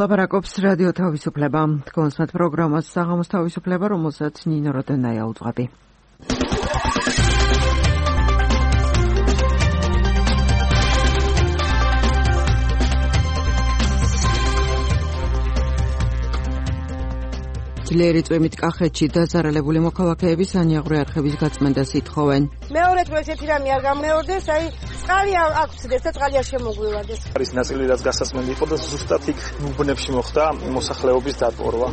ლაპარაკობს რადიო თავისუფლება. კონსმეთ პროგრამას საღამოს თავისუფლება, რომელსაც ნინო როდენაია უძღვები. ძლიერი წვიმით კახეთში დაზარალებული მოქალაქეები სანიაღვრე არხების გაწმენდას ითხოვენ. მეორე დღეს ერთი რამე არ გამეორდეს, წყალი აქვსდეს და წყალი არ შემოგვივარდეს. არის ნაწილი, რაც გასასმენდი იყო და ზუსტად იქ უბნებში მოხდა მოსახლეობის დატბორვა.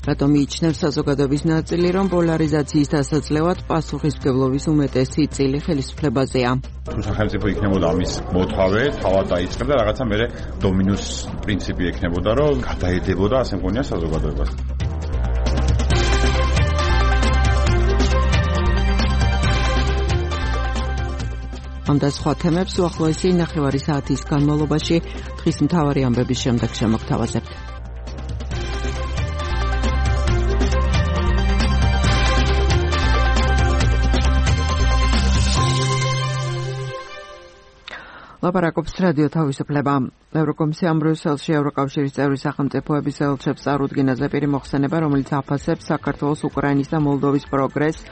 რატომ მიიჩნევს საზოგადოების ნაწილი, რომ პოლარიზაციის დასაძლევად პასუხისმგებლობის უმეტესი წილი ხელისუფლებაზეა? თუ სახელმწიფო იქნებოდა ამის მოთავე, თავად დაიწყებდა რაღაცა მერე დომინოს პრინციპი ექნებოდა, რომ გადაედებოდა ასე მგონია საზოგადოებას. ამ და სხვა თემებს უახლოესი 9 საათის განმავლობაში დღის მთავარი ამბების შემდეგ შემოგთავაზებთ. ლაპარაკობს რადიო თავისუფლება. ევროკომისიამ ბრიუსელში ევროკავშირის წევრი სახელმწიფოების ელჩებს წარუდგინა ზეპირი მოხსენება, რომელიც აფასებს საქართველოს, უკრაინის და მოლდოვის პროგრესს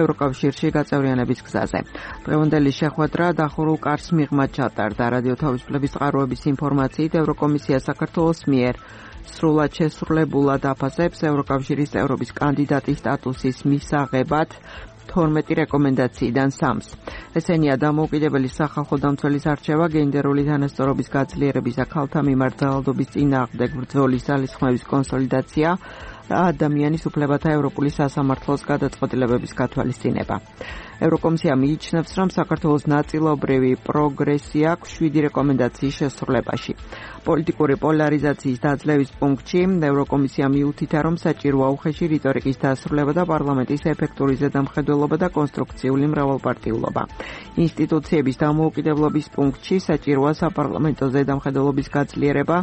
ევროკავშირში გაწევრიანების გზაზე. დღევანდელი შეხვედრა დახურულ კარს მიღმა ჩატარდა. რადიო თავისუფლების წყაროების ინფორმაციით, ევროკომისია საქართველოს მიერ სრულად შესრულებულად აფასებს ევროკავშირის წევრობის კანდიდატის სტატუსის მისაღებად 12 რეკომენდაციიდან 3-ს. ესენია დამოუკიდებელი სახალხო დამცველის არჩევა, გენდერული თანასწორობის გაძლიერების და ქალთა მიმართ ძალადობის წინააღმდეგ ბრძოლის ძალისხმევის კონსოლიდაცია და ადამიანის უფლებათა ევროპული სასამართლოს გადაწყვეტილებების გათვალისწინება. ევროკომისია მიიჩნევს, რომ საქართველოს ნაწილობრივი პროგრესი აქვს 7 რეკომენდაციის შესრულებაში. პოლიტიკური პოლარიზაციის დაძლევის პუნქტში ევროკომისია მიუთითა, რომ საჭიროა უხეში რიტორიკის დასრულება და პარლამენტის ეფექტური ზედამხედველობა და კონსტრუქციული მრავალპარტიულობა. ინსტიტუციების დამოუკიდებლობის პუნქტში საჭიროა საპარლამენტო ზედამხედველობის გაძლიერება,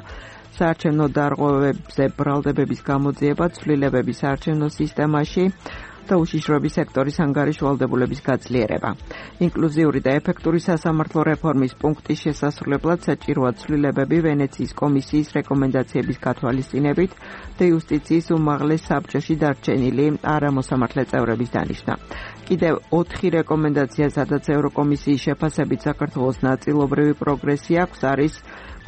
საარჩევნო დარღვევებზე ბრალდებების გამოძიება, ცვლილებების საარჩევნო სისტემაში და უშიშროების სექტორის ანგარიშვალდებულების გაძლიერება. ინკლუზიური და ეფექტური სასამართლო რეფორმის პუნქტის შესასრულებლად საჭიროა ცვლილებები ვენეციის კომისიის რეკომენდაციების გათვალისწინებით და იუსტიციის უმაღლეს საბჭოში დარჩენილი არამოსამართლე წევრების დანიშვნა. კიდევ 4 რეკომენდაცია, სადაც ევროკომისიის შეფასებით საქართველოს ნაწილობრივი პროგრესი აქვს, არის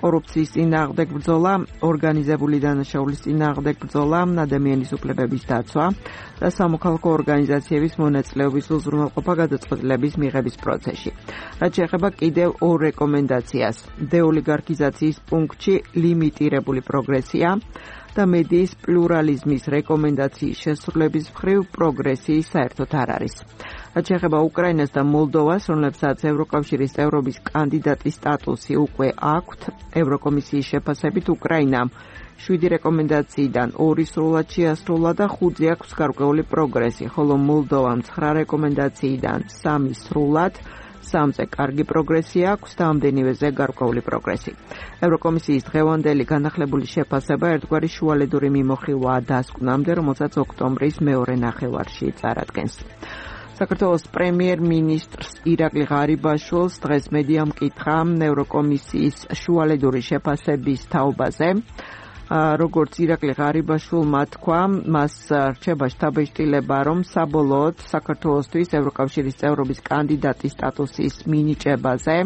კორუფციის წინააღმდეგ ბრძოლა, ორგანიზებული დანაშაულის წინააღმდეგ ბრძოლა, ადამიანის უფლებების დაცვა და სამოქალაქო ორგანიზაციების მონაწილეობის უზრუნველყოფა გადაწყვეტილების მიღების პროცესში. რაც შეეხება კიდევ 2 რეკომენდაციას, დეოლიგარქიზაციის პუნქტში ლიმიტირებული პროგრესია და მედიის პლურალიზმის რეკომენდაციის შესრულების მხრივ პროგრესი საერთოდ არ არის. რაც შეეხება უკრაინას და მოლდოვას, რომლებსაც ევროკავშირის წევრობის კანდიდატის სტატუსი უკვე აქვთ, ევროკომისიის შეფასებით უკრაინამ 7 რეკომენდაციიდან 2 სრულად შეასრულა და 5 აქვს გარკვეული პროგრესი, ხოლო მოლდოვამ 9 რეკომენდაციიდან 3 სრულად, 3-ზე კარგი პროგრესი აქვს და ამდენივეზე გარკვეული პროგრესი. ევროკომისიის დღევანდელი განახლებული შეფასება ერთგვარი შუალედური მიმოხილვაა დასკვნამდე, რომელსაც ოქტომბრის მეორე ნახევარში წარადგენს. საქართველოს პრემიერ-მინისტრს ირაკლი ღარიბაშვილს დღეს მედიამ კითხა ევროკომისიის შუალედური შეფასების თაობაზე. როგორც ირაკლი ღარიბაშვილმა თქვა, მას რჩება შთაბეჭდილება, რომ საბოლოოდ საქართველოსთვის ევროკავშირის წევრობის კანდიდატის სტატუსის მინიჭებაზე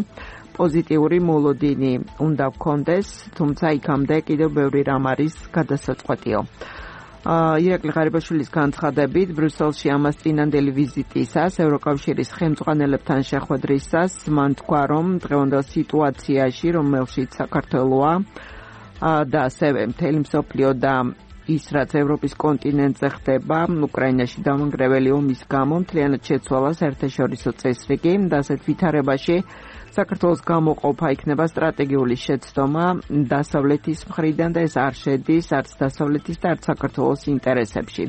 პოზიტიური მოლოდინი უნდა გქონდეს, თუმცა იქამდე კიდევ ბევრი რამ არის გადასაწყვეტიო. ირაკლი ღარიბაშვილის განცხადებით, ბრიუსელში ამას წინანდელი ვიზიტისას, ევროკავშირის ხელმძღვანელებთან შეხვედრისას, მან თქვა, რომ დღევანდელ სიტუაციაში, რომელშიც საქართველოა და ასევე მთელი მსოფლიო და ის, რაც ევროპის კონტინენტზე ხდება, უკრაინაში დამანგრეველი ომის გამო მთლიანად შეცვალა საერთაშორისო წესრიგი და ასეთ ვითარებაში საქართველოს გამოყოფა იქნება სტრატეგიული შეცდომა დასავლეთის მხრიდან და ეს არ შედის არც დასავლეთის და არც საქართველოს ინტერესებში.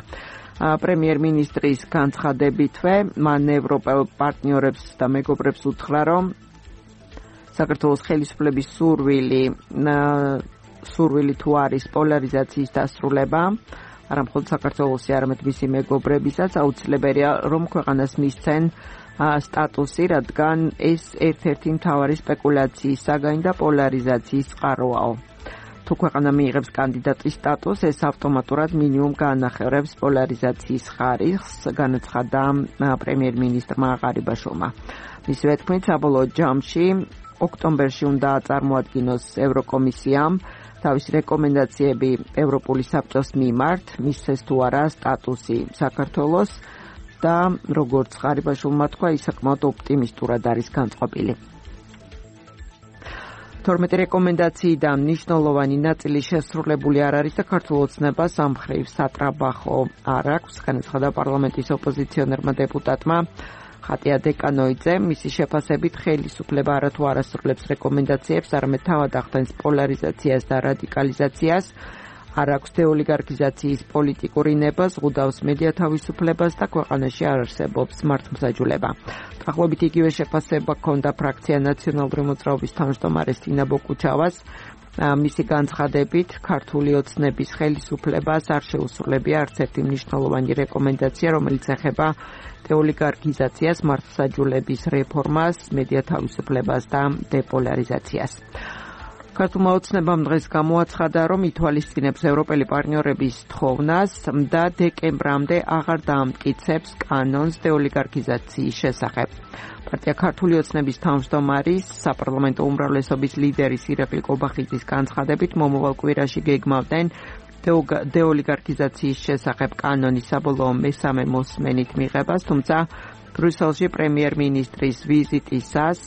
პრემიერ-მინისტრის განცხადებითვე, მან ევროპელ პარტნიორებს და მეგობრებს უთხრა, რომ საქართველოს ხელისუფლების სურვილი თუ არის პოლარიზაციის დასრულება, არამხოლოდ საქართველოსი, არამედ მისი მეგობრებისაც აუცილებელია, რომ ქვეყანას მისცენ სტატუსი, რადგან ეს ერთ-ერთი მთავარი სპეკულაციის საგანი და პოლარიზაციის წყაროაო. თუ ქვეყანა მიიღებს კანდიდატის სტატუსს, ეს ავტომატურად მინიმუმ განახევრებს პოლარიზაციის ხარისხს, განაცხადა პრემიერ-მინისტრმა ღარიბაშვილმა. მისივე თქმით, საბოლოო ჯამში ოქტომბერში უნდა წარმოადგინოს ევროკომისიამ თავისი რეკომენდაციები ევროპული საბჭოს მიმართ, მისცეს თუ არა სტატუსი საქართველოს და როგორც ღარიბაშვილმა თქვა, ის საკმაოდ ოპტიმისტურად არის განწყობილი. 12 რეკომენდაციიდან მნიშვნელოვანი ნაწილი შესრულებული არ არის და ქართულ ოცნებას ამ მხრივ სატრაბახო არ აქვს, განაცხადა პარლამენტის ოპოზიციონერმა დეპუტატმა ხატია დეკანოიძე. მისი შეფასებით ხელისუფლება არათუ არ ასრულებს რეკომენდაციებს, არამედ თავად ახდენს პოლარიზაციას და რადიკალიზაციას, არ აქვს დეოლიგარქიზაციის პოლიტიკურ ნებას, ზღუდავს მედია თავისუფლებას და ქვეყანაში არ არსებობს მართლმსაჯულება. დაახლოებით იგივე შეფასება ჰქონდა ფრაქცია ნაციონალური მოძრაობის თავმჯდომარეს თინა ბოկუჩავას. მისი განცხადებით, ქართული ოცნების ხელისუფლებას არ შეუსრულებია არც ერთი მნიშვნელოვანი რეკომენდაცია, რომელიც ეხება დეოლიგარქიზაციას, მართლმსაჯულების რეფორმას, მედია თავისუფლებას და დეპოლარიზაციას. ქართულმა ოცნებამ დღეს გამოაცხადა, რომ ითვალისწინებს ევროპელი პარტნიორების თხოვნას და დეკემბრამდე აღარ დაამტკიცებს კანონს დეოლიგარქიზაციის შესახებ. პარტია ქართული ოცნების თავმჯდომარის, საპარლამენტო უმრავლესობის ლიდერის ირაკლი კობახიძის განცხადებით, მომავალ კვირაში გეგმავდნენ დეოლიგარქიზაციის შესახებ კანონის საბოლოო მესამე მოსმენით მიღებას, თუმცა ბრიუსელში პრემიერ-მინისტრის ვიზიტისას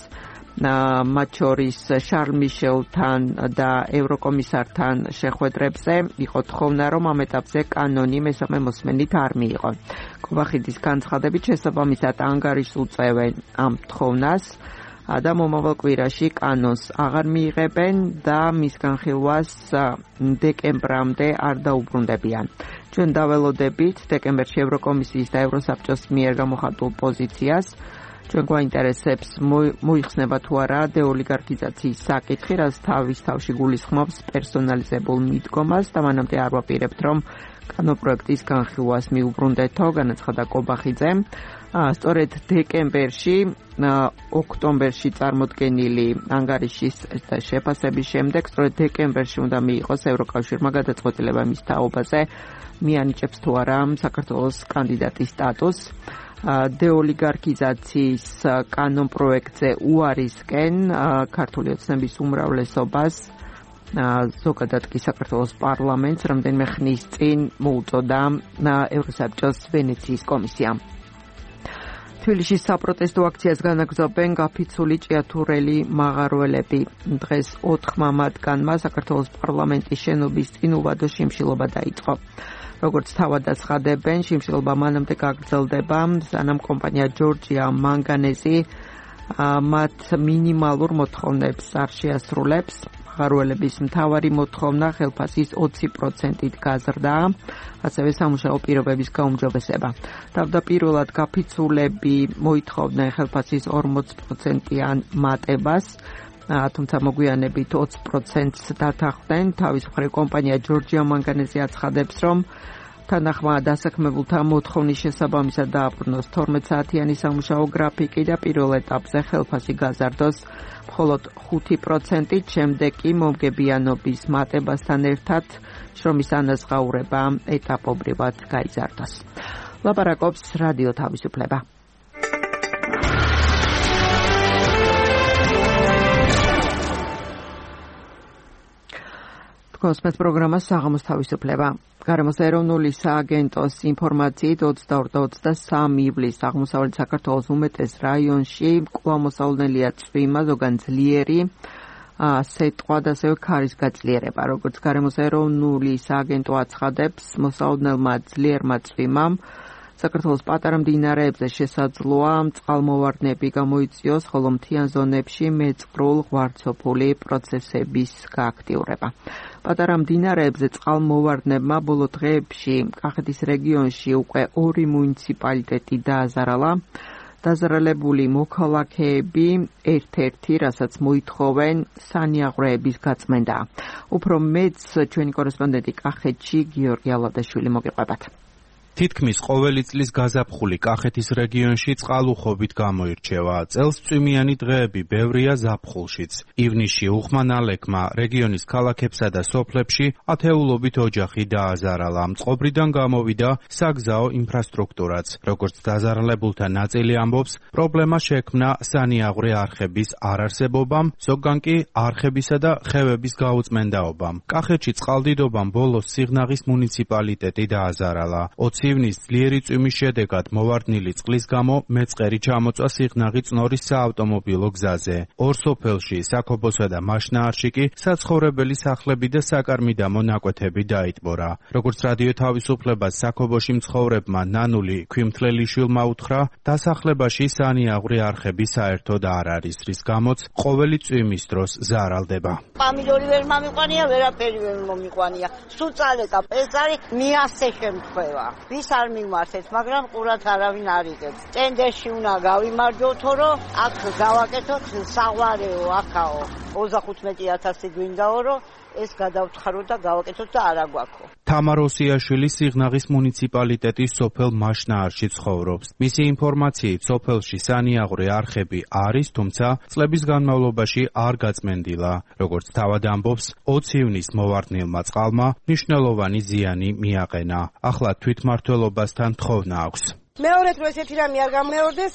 მათ შორის შარლ მიშელთან და ევროკომისართან შეხვედრებზე იყო თხოვნა, რომ ამ ეტაპზე კანონი მესამე მოსმენით არ მიიღო. კობახიძის განცხადებით, შესაბამისად ანგარიშს უწევენ ამ თხოვნას და მომავალ კვირაში კანონს აღარ მიიღებენ და მის განხილვას დეკემბრამდე არ დაუბრუნდებიან. ჩვენ დაველოდებით დეკემბერში ევროკომისიის და ევროსაბჭოს მიერ გამოხატულ პოზიციას. ჩვენ გვაინტერესებს მოიხსნება თუ არა დეოლიგარქიზაციის საკითხი, რაც თავის თავში გულისხმობს პერსონალიზებულ მიდგომას და მანამდე არ ვაპირებთ, რომ კანონპროექტის განხილვას მიუბრუნდეთო, განაცხადა კობახიძემ. სწორედ დეკემბერში, ოქტომბერში წარმოდგენილი ანგარიშის შეფასების შემდეგ, სწორედ დეკემბერში უნდა მიიღოს ევროკავშირმა გადაწყვეტილება მის თაობაზე, მიანიჭებს თუ არა საქართველოს კანდიდატის სტატუსს. დეოლიგარქიზაციის კანონპროექტზე უარისკენ ქართული ოცნების უმრავლესობას, ზოგადად კი საქართველოს პარლამენტს რამდენიმე ხნის წინ მოუწოდა ევროსაბჭოს ვენეციის კომისია. თბილისში საპროტესტო აქციას განაგრძობენ გაფიცული ჭიათურელი მაღაროელები. დღეს 4 მათგანმა საქართველოს პარლამენტის შენობის წინ უვადო შიმშილობა დაიწყო. როგორც თავად აცხადებენ, შიმშილობა მანამდე გაგრძელდება, სანამ კომპანია ჯორჯია მანგანეზი მათ მინიმალურ მოთხოვნებს არ შეასრულებს. მაღაროელების მთავარი მოთხოვნა ხელფასის 20%-ით გაზრდა, ასევე სამუშაო პირობების გაუმჯობესება. თავდაპირველად გაფიცულები მოითხოვდნენ ხელფასის 40%-იან მატებას, თუმცა მოგვიანებით 20%-ს დათანხმდნენ. თავის მხრივ კომპანია ჯორჯია მანგანეზი აცხადებს, რომ თანახმა დასაქმებულთა მოთხოვნის შესაბამისად დააბრუნოს 12 საათიანი სამუშაო გრაფიკი და პირველ ეტაპზე ხელფასი გაზარდოს მხოლოდ 5%-ით, შემდეგ კი მომგებიანობის მატებასთან ერთად შრომის ანაზღაურება ეტაპობრივად გაიზარდოს. ლაპარაკობს რადიო თავისუფლება. კოსმოს პროგრამა საღამოს თავისუფლება. გარემოს ეროვნული სააგენტოს ინფორმაციით 22-23 ივლისს აღმოსავლეთ საქართველოს უმეტეს რაიონში კვლავ-მოსალოდნელია წვიმა, ზოგან ძლიერი სეტყვა და ასევე ქარის გაძლიერება. როგორც გარემოს ეროვნული სააგენტო აცხადებს, მოსალოდნელმა ძლიერმა წვიმამ საქართველოს პატარა მდინარეებზე შესაძლოა წყალმოვარდნები გამოიწვიოს, ხოლო მთიან ზონებში მეწყრულ-ღვარცოფული პროცესების გააქტიურება. პატარა მდინარეებზე წყალმოვარდნებმა ბოლო დღეებში კახეთის რეგიონში უკვე 2 მუნიციპალიტეტი დააზარალა. დაზარალებული მოქალაქეები ერთ-ერთი, რასაც მოითხოვენ, სანიაღვრეების გაწმენდა. უფრო მეც ჩვენი კორესპონდენტი კახეთში გიორგი ალადაშვილი მოგიყვებათ. თითქმის ყოველი წლის გაზაფხული კახეთის რეგიონში წყალუხობით გამოირჩევა. წელს წვიმიანი დღეები ბევრია ზაფხულშიც. ივნისში უხმანალექმა რეგიონის ქალაქებსა და სოფლებში ათეულობით ოჯახი დააზარალა. მწყობრიდან გამოვიდა საგზაო ინფრასტრუქტურაც. როგორც დაზარალებულთა ნაწილი ამბობს, პრობლემა შექმნა სანიაღვრე არხების არარსებობამ, ზოგან კი არხებისა და ხევების გაუწმენდაობამ. კახეთში წყალდიდობამ ბოლოს სიღნაღის მუნიციპალიტეტი დააზარალა. ივნის ძლიერი წვიმის შედეგად მოვარდნილი წყლის გამო მეწყერი ჩამოწვა სიღნაღი წნორის საავტომობილო გზაზე. ორ სოფელში, საქობოსა და მაშნაარში კი საცხოვრებელი სახლები და საკარმიდამო ნაკვეთები დაიტბორა. როგორც რადიო თავისუფლებას საქობოში მცხოვრებმა ნანული ქვიმთლელიშვილმა უთხრა, დასახლებაში სანიაღვრე არხები საერთოდ არ არის, რის გამოც ყოველი წვიმის დროს ზარალდება. პამიდორი ვერ მომიყვანია, ვერაფერი ვერ მომიყვანია. სულ წალეკა პესარი მიასე შემთხვევა. ვის არ მიმართეთ, მაგრამ ყურად არავინ არ იღებს. ტენდერში უნდა გავიმარჯვოთო, რომ აქ გავაკეთოთ საღვარეო, აქაო 35,000 გვინდაო, რომ ეს გადავთხარო და გავაკეთოთ და არა გვაქვს. თამარ ოსიაშვილი სიღნაღის მუნიციპალიტეტის სოფელ მაშნაარში ცხოვრობს. მისი ინფორმაციით, სოფელში სანიაღვრე არხები არის, თუმცა წლების განმავლობაში არ გაწმენდილა. როგორც თავად ამბობს, 20 ივნის მოვარდნილმა წყალმა მნიშვნელოვანი ზიანი მიაყენა. ახლა თვითმმართველობასთან თხოვნა აქვს. მეორე დრო ესეთი რამე არ გამეორდეს,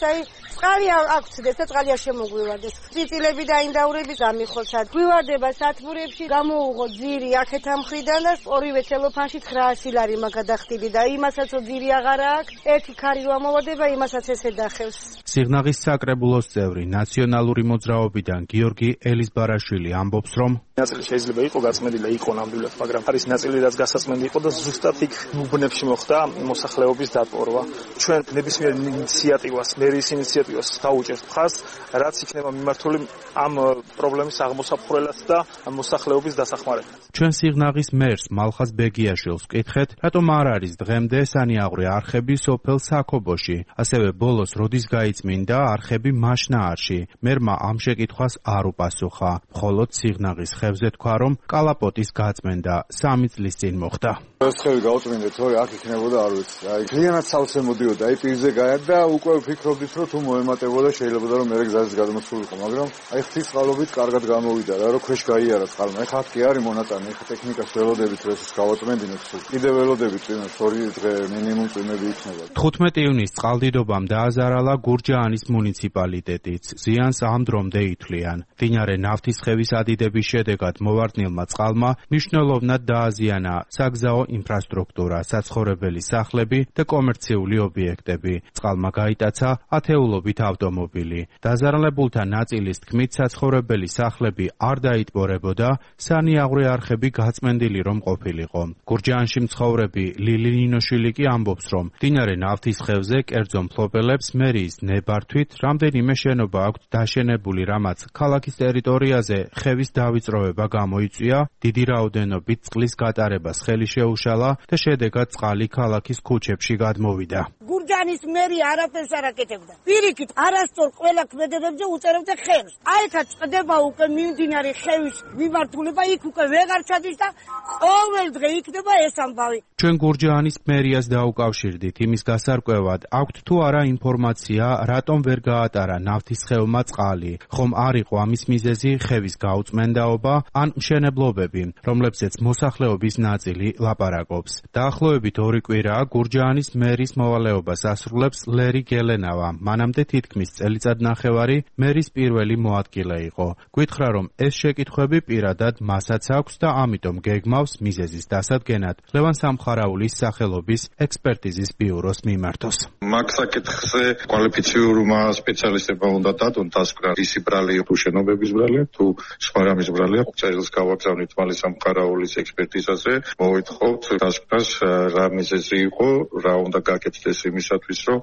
წყალი აქვს და წყალი არ შემოგვივარდეს. წიწილები და ინდაურები გამიხოცად. გვივარდება სათბურებში, გამოუღო ძირი აქეთ ამ მხრიდან და ორივე ცელოფანში 900 ლარი მაგადახტილი და იმასაც ძირი აღარა აქვს. ერთი ქარი რო ამოვარდება, იმასაც ესე დახევს. სიღნაღის საკრებულოს წევრი ნაციონალური მოძრაობიდან გიორგი ელისბარაშვილი ამბობს, რომ ნაწილი შეიძლება იყო გაწმენდილი, იყო ნამდვილად, მაგრამ არის ნაწილი, რაც გასაწმენდი იყო და ზუსტად იქ უბნებში მოხდა მოსახლეობის დატბორვა. ჩვენ ნებისმიერ ინიციატივას, მერის ინიციატივას დაუჭერთ მხარს, რაც იქნება მიმართული ამ პრობლემის აღმოსაფხვრელად და მოსახლეობის დასახმარებლად. ჩვენ სიღნაღის მერს მალხაზ ბეგიაშვილს ვკითხეთ, რატომ არ არის დღემდე სანიაღვრე არხები სოფელ საქობოში, ასევე ბოლოს როდის გაიწმინდა არხები მაშნაარში. მერმა ამ შეკითხვას არ უპასუხა. მხოლოდ სიღნაღის ხევზე თქვა, რომ კალაპოტის გაწმენდა 3 წლის წინ მოხდა. ეს ხევი გაუწმინდეთ, თორე აქ იქნებოდა არ ვიცი. კლიანად სავსე მოდიოდა, პირზე გაიარდა და უკვე ვფიქრობდით, რომ თუ მოემატებოდა შეიძლება რომ მერე გზაზე გადმოსულიყო, მაგრამ ღვთის წყალობით კარგად გამოვიდა რა, რომ ქვეშ გაიარა წყალმა. ეხლა აქ კი არის მონაწილე, ეხლა ტექნიკას ველოდებით რომ ეს გავაწმენდინოთ, კიდე ველოდებით წვიმებს 2 დღე მინიმუმ წვიმები იქნება. 15 ივნის წყალდიდობამ დააზარალა გურჯაანის მუნიციპალიტეტიც. ზიანს ამ დრომდე ითვლიან. მდინარე ნავთისხევის ადიდების შედეგად მოვარდნილმა წყალმა მნიშვნელოვნად დააზიანა საგზაო ინფრასტრუქტურა, საცხოვრებელი სახლები და კომერციული ობიექტები. წყალმა გაიტაცა ათეულობით ავტომობილი. დაზარალებულთა ნაწილის თქმით, საცხოვრებელი სახლები არ დაიტბორებოდა, სანიაღვრე არხები გაწმენდილი რომ ყოფილიყო. გურჯაანში მცხოვრები ლილი ნინოშვილი კი ამბობს, რომ მდინარე ნავთისხევზე კერძო მფლობელებს მერიის ნებართვით რამდენიმე შენობა აქვთ დაშენებული, რამაც ქალაქის ტერიტორიაზე ხევის დავიწროვება გამოიწვია, დიდი რაოდენობით წყლის გატარებას ხელი შეუშალა და შედეგად წყალი ქალაქის ქუჩებში გადმოვიდა. გურჯაანის მერი არაფერს არ აკეთებდა. პირიქით, არასწორ ყველა ქმედებებზე უწერებდა ხევს. აიქა წდება უკვე მიმდინარე ხევის მიმართულება, იქ უკვე ვეღარ ჩადის და ყოველ დღე იქნება ეს ამბავი. ჩვენ გურჯაანის მერიას დაუკავშირდით იმის გასარკვევად, აქვთ თუ არა ინფორმაცია, რატომ ვერ გაატარა ნავთისხევმა წყალი, ხომ არ იყო ამის მიზეზი ხევის გაუწმენდაობა ან მშენებლობები, რომლებზეც მოსახლეობის ნაწილი ლაპარაკობს. დაახლოებით 2 კვირაა გურჯაანის მერის მოვალეობას ასრულებს ლერი გელენავა. მანამდე თითქმის წელიწადნახევარი მერის პირველი მოადგილე იყო. გითხრა, რომ ეს შეკითხვები პირადად მასაც აქვს და ამიტომ გეგმავს მიზეზის დასადგენად ლევან სამხარაულის სახელობის ექსპერტიზის ბიუროს მიმართოს. მაგ საკითხზე კვალიფიციურმა სპეციალისტებმა უნდა დადონ დასკვნა, ისი ბრალია თუ შენობების ბრალია, თუ სხვა რამის ბრალია. წერილს გავაგზავნით მალე სამხარაულის ექსპერტიზაზე, მოვითხოვთ დასკვნას რა მიზეზი იყო, რა უნდა გაკეთდეს იმისათვის, რომ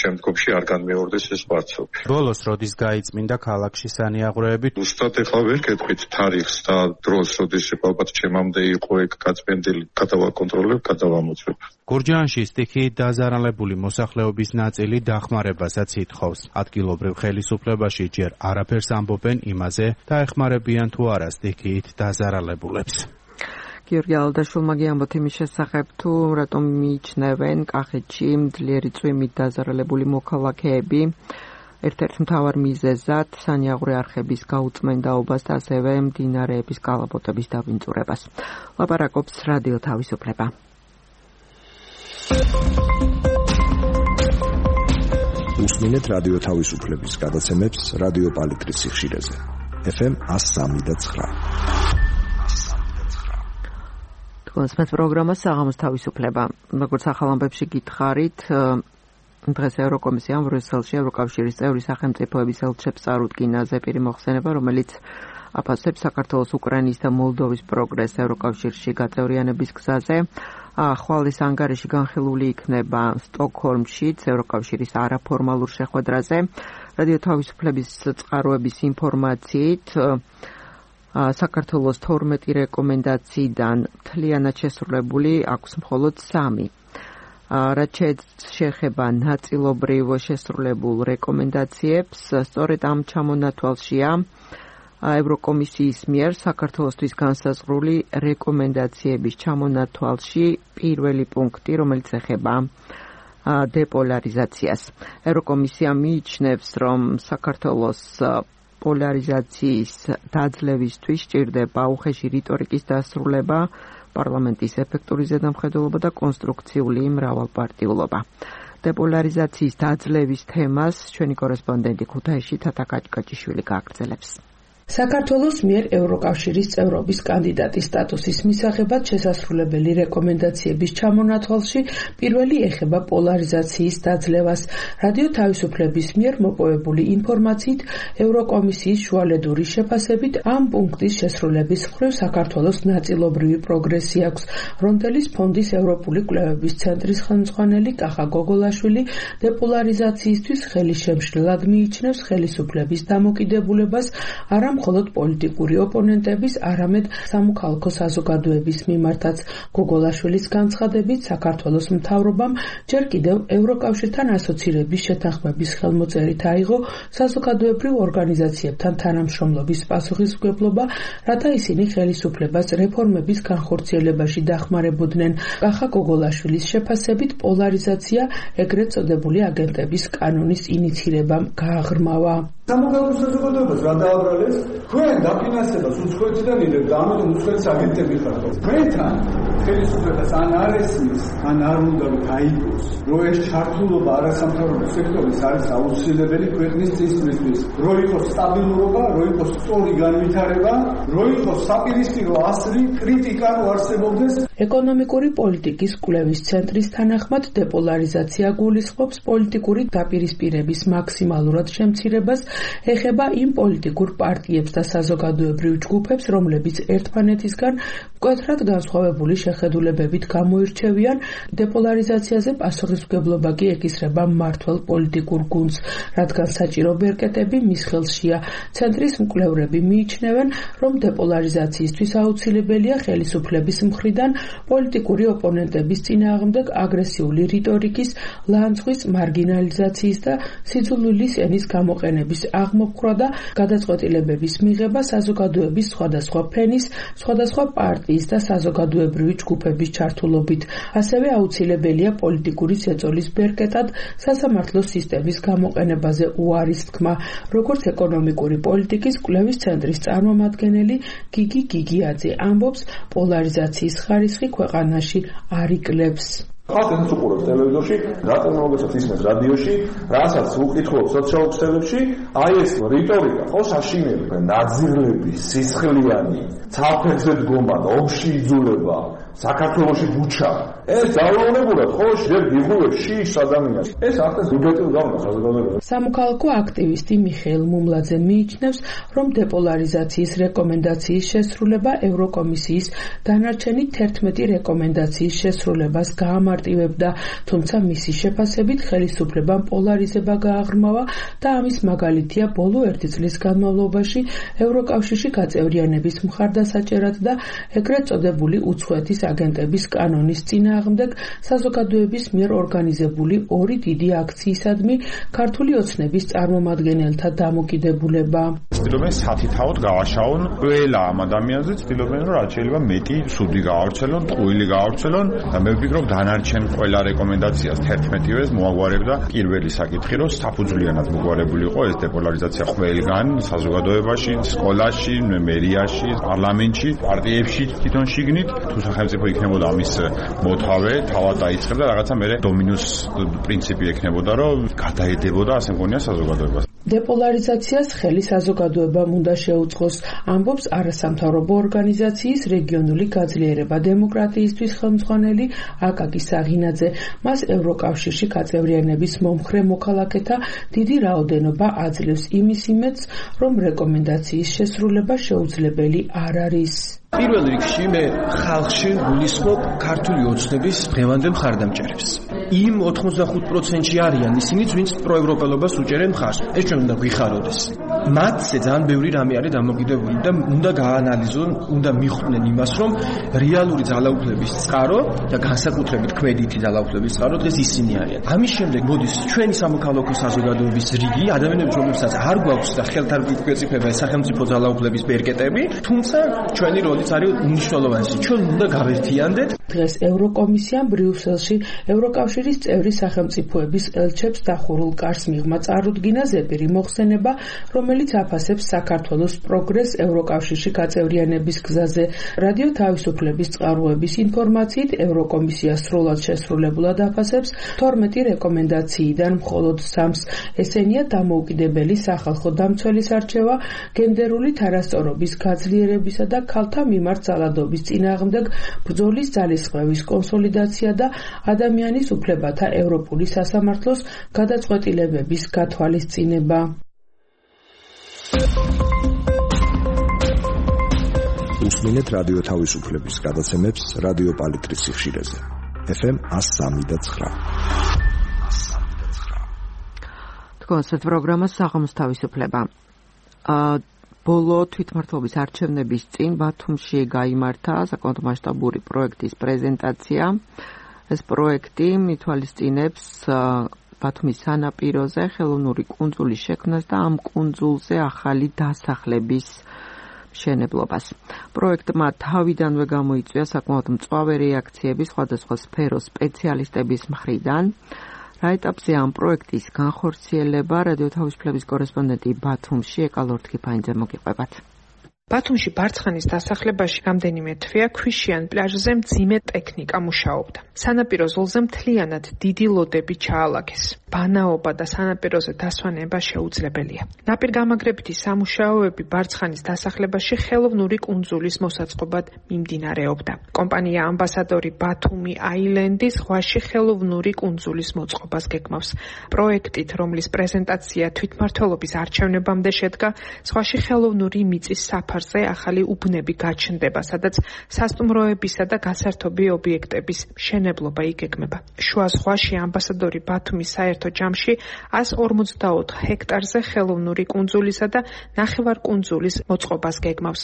შემდგომში არ განმეორდეს ეს კვარცობი. ბოლოს როდის გაიწმინდა ქალაქში სანიაღვრეები? ზუსტად ეხლა ვერ გეტყვით თარიღს და დროს, როდის ალბათ ჩემამდე იყო ეგ გაწმენდილი, გადავაკონტროლებ, გადავამოწმებ. გურჯაანში სტიქიით დაზარალებული მოსახლეობის ნაწილი დახმარებასაც ითხოვს. ადგილობრივ ხელისუფლებაში ჯერ არაფერს ამბობენ იმაზე, დაეხმარებიან თუ არა სტიქიით დაზარალებულებს. გიორგი ალდაშვილმა გიამბოთ იმის შესახებ, თუ რატომ მიიჩნევენ კახეთში ძლიერი წვიმით დაზარალებული მოქალაქეები ერთ-ერთ მთავარ მიზეზად სანიაღვრე არხების გაუწმენდაობას და ასევე მდინარეების კალაპოტების დაბინძურებას. ლაპარაკობს რადიო თავისუფლება. უსმინეთ რადიო თავისუფლების გადაცემებს რადიო პალიტრის სიხშირეზე. FM 103.9. თქვენს პროგრამას საღამოს თავისუფლება. როგორც ახალ ამბებში გითხარით, დღეს ევროკომისიამ ბრიუსელში ევროკავშირის წევრი სახელმწიფოების ელჩებს წარუდგინა ზეპირი მოხსენება, რომელიც აფასებს საქართველოს, უკრაინის და მოლდოვის პროგრესს ევროკავშირში გაწევრიანების გზაზე. ხვალის ანგარიში განხილული იქნება სტოკჰოლმშიც ევროკავშირის არაფორმალურ შეხვედრაზე. რადიო თავისუფლების წყაროების ინფორმაციით საქართველოს 12 რეკომენდაციიდან მთლიანად შესრულებული აქვს მხოლოდ 3. რაც შეეხება ნაწილობრივ შესრულებულ რეკომენდაციებს, სწორედ ამ ჩამონათვალშია ევროკომისიის მიერ საქართველოსთვის განსაზღვრული რეკომენდაციების ჩამონათვალში პირველი პუნქტი, რომელიც ეხება დეპოლარიზაციას. ევროკომისია მიიჩნევს, რომ საქართველოს პოლარიზაციის დაძლევისთვის სჭირდება უხეში რიტორიკის დასრულება, პარლამენტის ეფექტური ზედამხედველობა და კონსტრუქციული მრავალპარტიულობა. დეპოლარიზაციის დაძლევის თემას ჩვენი კორესპონდენტი ქუთაისში თათა კაჭკაჭიშვილი გააგრძელებს. საქართველოს მიერ ევროკავშირის წევრობის კანდიდატის სტატუსის მისაღებად შესასრულებელი რეკომენდაციების ჩამონათვალში პირველი ეხება პოლარიზაციის დაძლევას. რადიო თავისუფლების მიერ მოპოვებული ინფორმაციით, ევროკომისიის შუალედური შეფასებით ამ პუნქტის შესრულების მხრივ საქართველოს ნაწილობრივი პროგრესი აქვს. რონდელის ფონდის ევროპული კვლევების ცენტრის ხელმძღვანელი კახა გოგოლაშვილი დეპოლარიზაციისთვის ხელი შემშლელად მიიჩნევს ხელისუფლების დამოკიდებულებას არა მხოლოდ პოლიტიკური ოპონენტების, არამედ სამოქალაქო საზოგადოების მიმართაც. გოგოლაშვილის განცხადებით, საქართველოს მთავრობამ ჯერ კიდევ ევროკავშირთან ასოცირების შეთანხმების ხელმოწერით აიღო საზოგადოებრივ ორგანიზაციებთან თანამშრომლობის პასუხისმგებლობა, რათა ისინი ხელისუფლებას რეფორმების განხორციელებაში დახმარებოდნენ. კახა გოგოლაშვილის შეფასებით, პოლარიზაცია ეგრეთ წოდებული აგენტების კანონის ინიცირებამ გააღრმავა. სამოქალაქო საზოგადოებას რა დააბრალეს? თქვენ დაფინანსებას უცხოეთიდან იღებთ, ამიტომ უცხოეთის აგენტები ხართ. თქვენთან ხელისუფლებას ან არ ესმის, ან არ უნდა გაიგოს, რომ ეს ჩართულობა არასამთავრობო სექტორის არის აუცილებელი ქვეყნის წინსვლისთვის, რომ იყოს სტაბილურობა, რომ იყოს სწორი განვითარება, რომ იყოს საპირისპირო ასლი, კრიტიკა რო არსებობდეს. ეკონომიკური პოლიტიკის კვლევის ცენტრის თანახმად დეპოლარიზაცია გულისხმობს პოლიტიკური დაპირისპირების მაქსიმალურად შემცირებას, ეხება იმ პოლიტიკურ პარტიებს და საზოგადოებრივ ჯგუფებს, რომლებიც ერთმანეთისგან მკვეთრად განსხვავებული შეხედულებებით გამოირჩევიან. დეპოლარიზაციაზე პასუხისმგებლობა კი ეკისრება მმართველ პოლიტიკურ გუნდს, რადგან საჭირო ბერკეტები მის ხელშია. ცენტრის მკვლევრები მიიჩნევენ, რომ დეპოლარიზაციისთვის აუცილებელია ხელისუფლების მხრიდან პოლიტიკური ოპონენტების წინააღმდეგ აგრესიული რიტორიკის, ლანძღვის, მარგინალიზაციის და სიძულვილის ენის გამოყენების აღმოფხვრა და გადაწყვეტილებების მიღება საზოგადოების სხვადასხვა ფენის, სხვადასხვა პარტიის და საზოგადოებრივი ჯგუფების ჩართულობით. ასევე აუცილებელია პოლიტიკური ზეწოლის ბერკეტად სასამართლო სისტემის გამოყენებაზე უარის თქმა, როგორც ეკონომიკური პოლიტიკის კვლევის ცენტრის წარმომადგენელი გიგი გიგიაძე ამბობს, პოლარიზაციის ხარისხი ქვეყანაში არ იკლებს. ხალხს უყურებს ტელევიზორში, რატომ ისმენს რადიოში, რასაც უკითხულობ სოციალურ ქსელებში, აი ეს რიტორიკა, ხო საშინელი, ნაძილები, სისხლიანი, ცალფერზე დგომა, ომში იძულება, საქართველოში ბუჩა. ეს ძალაუნებურად ხო შეგ იღუებს შიშ ადამიანს. ეს ახლა უდეტილ გავნა საზოგადოება. სამოქალაქო აქტივისტი მიხეილ მუმლაძე მიიჩნევს, რომ დეპოლარიზაციის რეკომენდაციის შესრულება ევროკომისიის დანარჩენი 11 რეკომენდაციის შესრულებას გაამარტივებდა, თუმცა მისი შეფასებით ხელისუფლებამ პოლარიზება გააღრმავა და ამის მაგალითია ბოლო 1 წლის განმავლობაში ევროკავშირში გაწევრიანების მხარდასაჭერად და ეგრეთ წოდებული უცხოეთის აგენტების კანონის წინააღმდეგ საზოგადოების მიერ ორგანიზებული 2 დიდი აქციისადმი ქართული ოცნების წარმომადგენელთა დამოკიდებულება. ცდილობენ სათითაოდ გავაშაონ ყველა ამ ადამიანზე, ცდილობენ რომ რაც შეიძლება მეტი სუდი გაავრცელონ, ტყუილი გაავრცელონ და მე ვფიქრობ დანარჩენ ყველა რეკომენდაციას 11-ვეს მოაგვარებდა პირველი საკითხი, რომ საფუძვლიანად მოგვარებული იყო ეს დეპოლარიზაცია ყველგან, საზოგადოებაში, სკოლაში, მერიაში, პარლამენტში, პარტიებში თვითონ შიგნით, თუ სახელმწიფო იქნებოდა ამის მოთავე, თავად დაიწყებდა რაღაცა მე დომინოს პრინციპი ექნებოდა, რომ გადაედებოდა ასე მგონია საზოგადოებას. დეპოლარიზაციას ხელი საზოგადოებამ უნდა შეუწყოს, ამბობს არასამთავრობო ორგანიზაციის რეგიონული გაძლიერება დემოკრატიისთვის ხელმძღვანელი აკაკი საღინაძე. მას ევროკავშირში გაწევრიანების მომხრე მოქალაქეთა დიდი რაოდენობა აძლევს იმის იმედს, რომ რეკომენდაციის შესრულება შეუძლებელი არ არის. პირველ რიგში მე ხალხში გულისხმობ ქართული ოცნების დღევანდელ მხარდამჭერებს. იმ 85%-ში არიან ისინიც, ვინც პროევროპელობას უჭერენ მხარს. ეს ჩვენ უნდა გვიხაროდეს. მათზე ძალიან ბევრი რამე არის დამოკიდებული და უნდა გაანალიზონ, უნდა მიხვდნენ იმას, რომ რეალური ძალაუფლების წყარო და განსაკუთრებით ქმედითი ძალაუფლების წყარო დღეს ისინი არიან. ამის შემდეგ მოდის ჩვენი სამოქალაქო საზოგადოების რიგი ადამიანებს, რომლებსაც არ გვაქვს და ხელთ არ გვიკვეწიფება სახელმწიფო ძალაუფლების ბერკეტები, თუმცა ჩვენი როლი არის უნიშნულოვანესი. ჩვენ უნდა გავერთიანდეთ. დღეს ევროკომისიამ ბრიუსელში ევროკავშირის წევრი სახელმწიფოების ელჩებს დახურულ კარს მიღმა წარუდგინა ზეპირი მოხსენება, რომელიც აფასებს საქართველოს პროგრესს ევროკავშირში გაწევრიანების გზაზე. რადიო თავისუფლების წყაროების ინფორმაციით, ევროკომისია სრულად შესრულებულად აფასებს 12 რეკომენდაციიდან მხოლოდ 3-ს. ესენია დამოუკიდებელი სახალხო დამცველის არჩევა, გენდერული თანასწორობის გაძლიერებისა და ქალთა მიმართ ძალადობის წინააღმდეგ ბრძოლის ძალისხმევის კონსოლიდაცია და ადამიანის უფლებათა ევროპული სასამართლოს გადაწყვეტილებების გათვალისწინება. უსმინეთ რადიო თავისუფლების გადაცემებს რადიო პალიტრის სიხშირეზე. FM 103.9. კონცერტ პროგრამა საღამოს თავისუფლება. ბოლო თვითმმართველობის არჩევნების წინ ბათუმში გაიმართა საკმაოდ მასშტაბური პროექტის პრეზენტაცია. ეს პროექტი მითვალისწინებს ბათუმის სანაპიროზე ხელოვნური კუნძულის შექმნას და ამ კუნძულზე ახალი დასახლების მშენებლობას. პროექტმა თავიდანვე გამოიწვია საკმაოდ მწვავე რეაქციები სხვადასხვა სფეროს სპეციალისტების მხრიდან. რა ეტაპზეა ამ პროექტის განხორციელება? რადიო თავისუფლების კორესპონდენტი ბათუმში ეკალორთქიფანიძე მოგიყვებათ. ბათუმში ბარცხანის დასახლებაში რამდენიმე თვეა ქვიშიან პლაჟზე მძიმე ტექნიკა მუშაობდა. სანაპირო ზოლზე მთლიანად დიდი ლოდები ჩაალაგეს. ბანაობა და სანაპიროზე დასვენება შეუძლებელია. ნაპირგამაგრებითი სამუშაოები ბარცხანის დასახლებაში ხელოვნური კუნძულის მოსაწყობად მიმდინარეობდა. კომპანია ამბასადორი ბათუმი აილენდი ზღვაში ხელოვნური კუნძულის მოწყობას გეგმავს. პროექტით, რომლის პრეზენტაცია თვითმმართველობის არჩევნებამდე შედგა, ზღვაში ხელოვნური მიწის საფარზე ახალი უბნები გაჩნდება, სადაც სასტუმროებისა და გასართობი ობიექტების მშენებლობა იგეგმება. შუა ზღვაში ამბასადორი ბათუმის საერთო ჯამში 154 ჰექტარზე ხელოვნური კუნძულისა და ნახევარკუნძულის მოწყობას გეგმავს.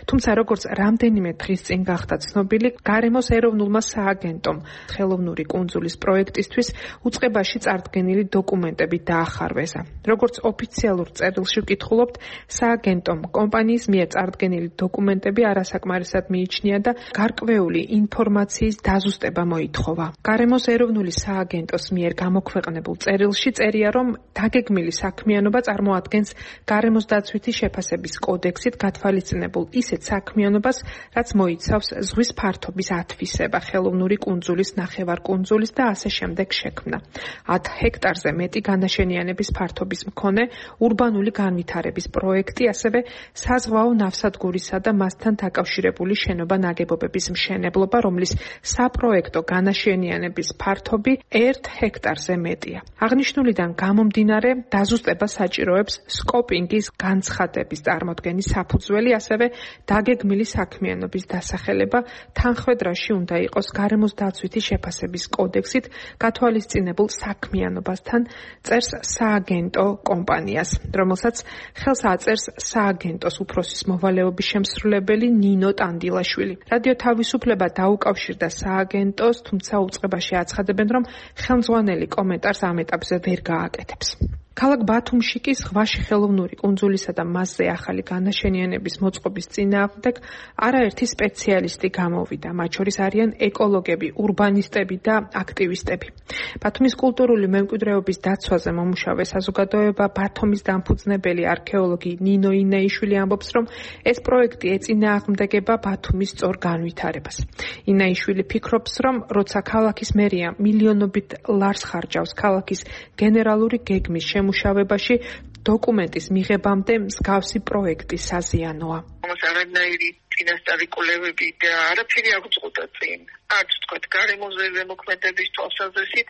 თუმცა როგორც რამდენიმე დღის წინ გახდა ცნობილი, გარემოს ეროვნულმა სააგენტომ ხელოვნური კუნძულის პროექტისთვის უწყებაში წარდგენილი დოკუმენტები დაახარვეზა. როგორც ოფიციალურ წერილში ვკითხულობთ, სააგენტომ კომპანიის მიერ წარდგენილი დოკუმენტები არასაკმარისად მიიჩნია და გარკვეული ინფორმაციის დაზუსტება მოითხოვა. გარემოს ეროვნული სააგენტოს მიერ გამოქვეყნებულ წერილში წერია, რომ დაგეგმილი საქმიანობა წარმოადგენს გარემოს დაცვითი შეფასების კოდექსით გათვალისწინებულ ისეთ საქმიანობას, რაც მოიცავს ზღვის ფართობის ათვისება, ხელოვნური კუნძულის, ნახევარკუნძულის და ასე შემდეგ შექმნა. 10 ჰექტარზე მეტი განაშენიანების ფართობის მქონე ურბანული განვითარების პროექტი, ასევე საზღვაო ნავსადგურისა და მასთან დაკავშირებული შენობა-ნაგებობების მშენებლობა, რომლის საპროექტო განაშენიანების ფართობი 1 ჰექტარზე მეტია. აღნიშნულიდან გამომდინარე, დაზუსტება საჭიროებს სკოპინგის განცხადების წარმოდგენის საფუძველი, ასევე დაგეგმილი საქმიანობის დასახელება თანხმედრაში უნდა იყოს გარემოს დაცვითი შეფასების კოდექსით გათვალისწინებულ საქმიანობასთან, წერს სააგენტო კომპანიას, რომელსაც ხელს აწერს სააგენტოს უფროსის მოვალეობის შემსრულებელი ნინო ტანდილაშვილი. რადიო თავისუფლება დაუკავშირდა სააგენტოს, თუმცა უწყებაში აცხადებენ, რომ ხელმძღვანელი კომენტარს ამ ეტაპზე ვერ გააკეთებს. ქალაქ ბათუმში კი ზღვაში ხელოვნური კუნძულისა და მასზე ახალი განაშენიანების მოწყობის წინააღმდეგ არაერთი სპეციალისტი გამოვიდა. მათ შორის არიან ეკოლოგები, ურბანისტები და აქტივისტები. ბათუმის კულტურული მემკვიდრეობის დაცვაზე მომუშავე საზოგადოება ბათუმის დამფუძნებელი არქეოლოგი ნინო ინაიშვილი ამბობს, რომ ეს პროექტი ეწინააღმდეგება ბათუმის სწორ განვითარებას. ინაიშვილი ფიქრობს, რომ როცა ქალაქის მერია მილიონობით ლარს ხარჯავს ქალაქის გენერალური გეგმის შემუშავებაში, დოკუმენტის მიღებამდე მსგავსი პროექტი საზიანოა. არანაირი წინასწარი კვლევები და არაფერი არ გვწყვეტა წინ. არც თქვა გარემოზე ზემოქმედების თვალსაზრისით,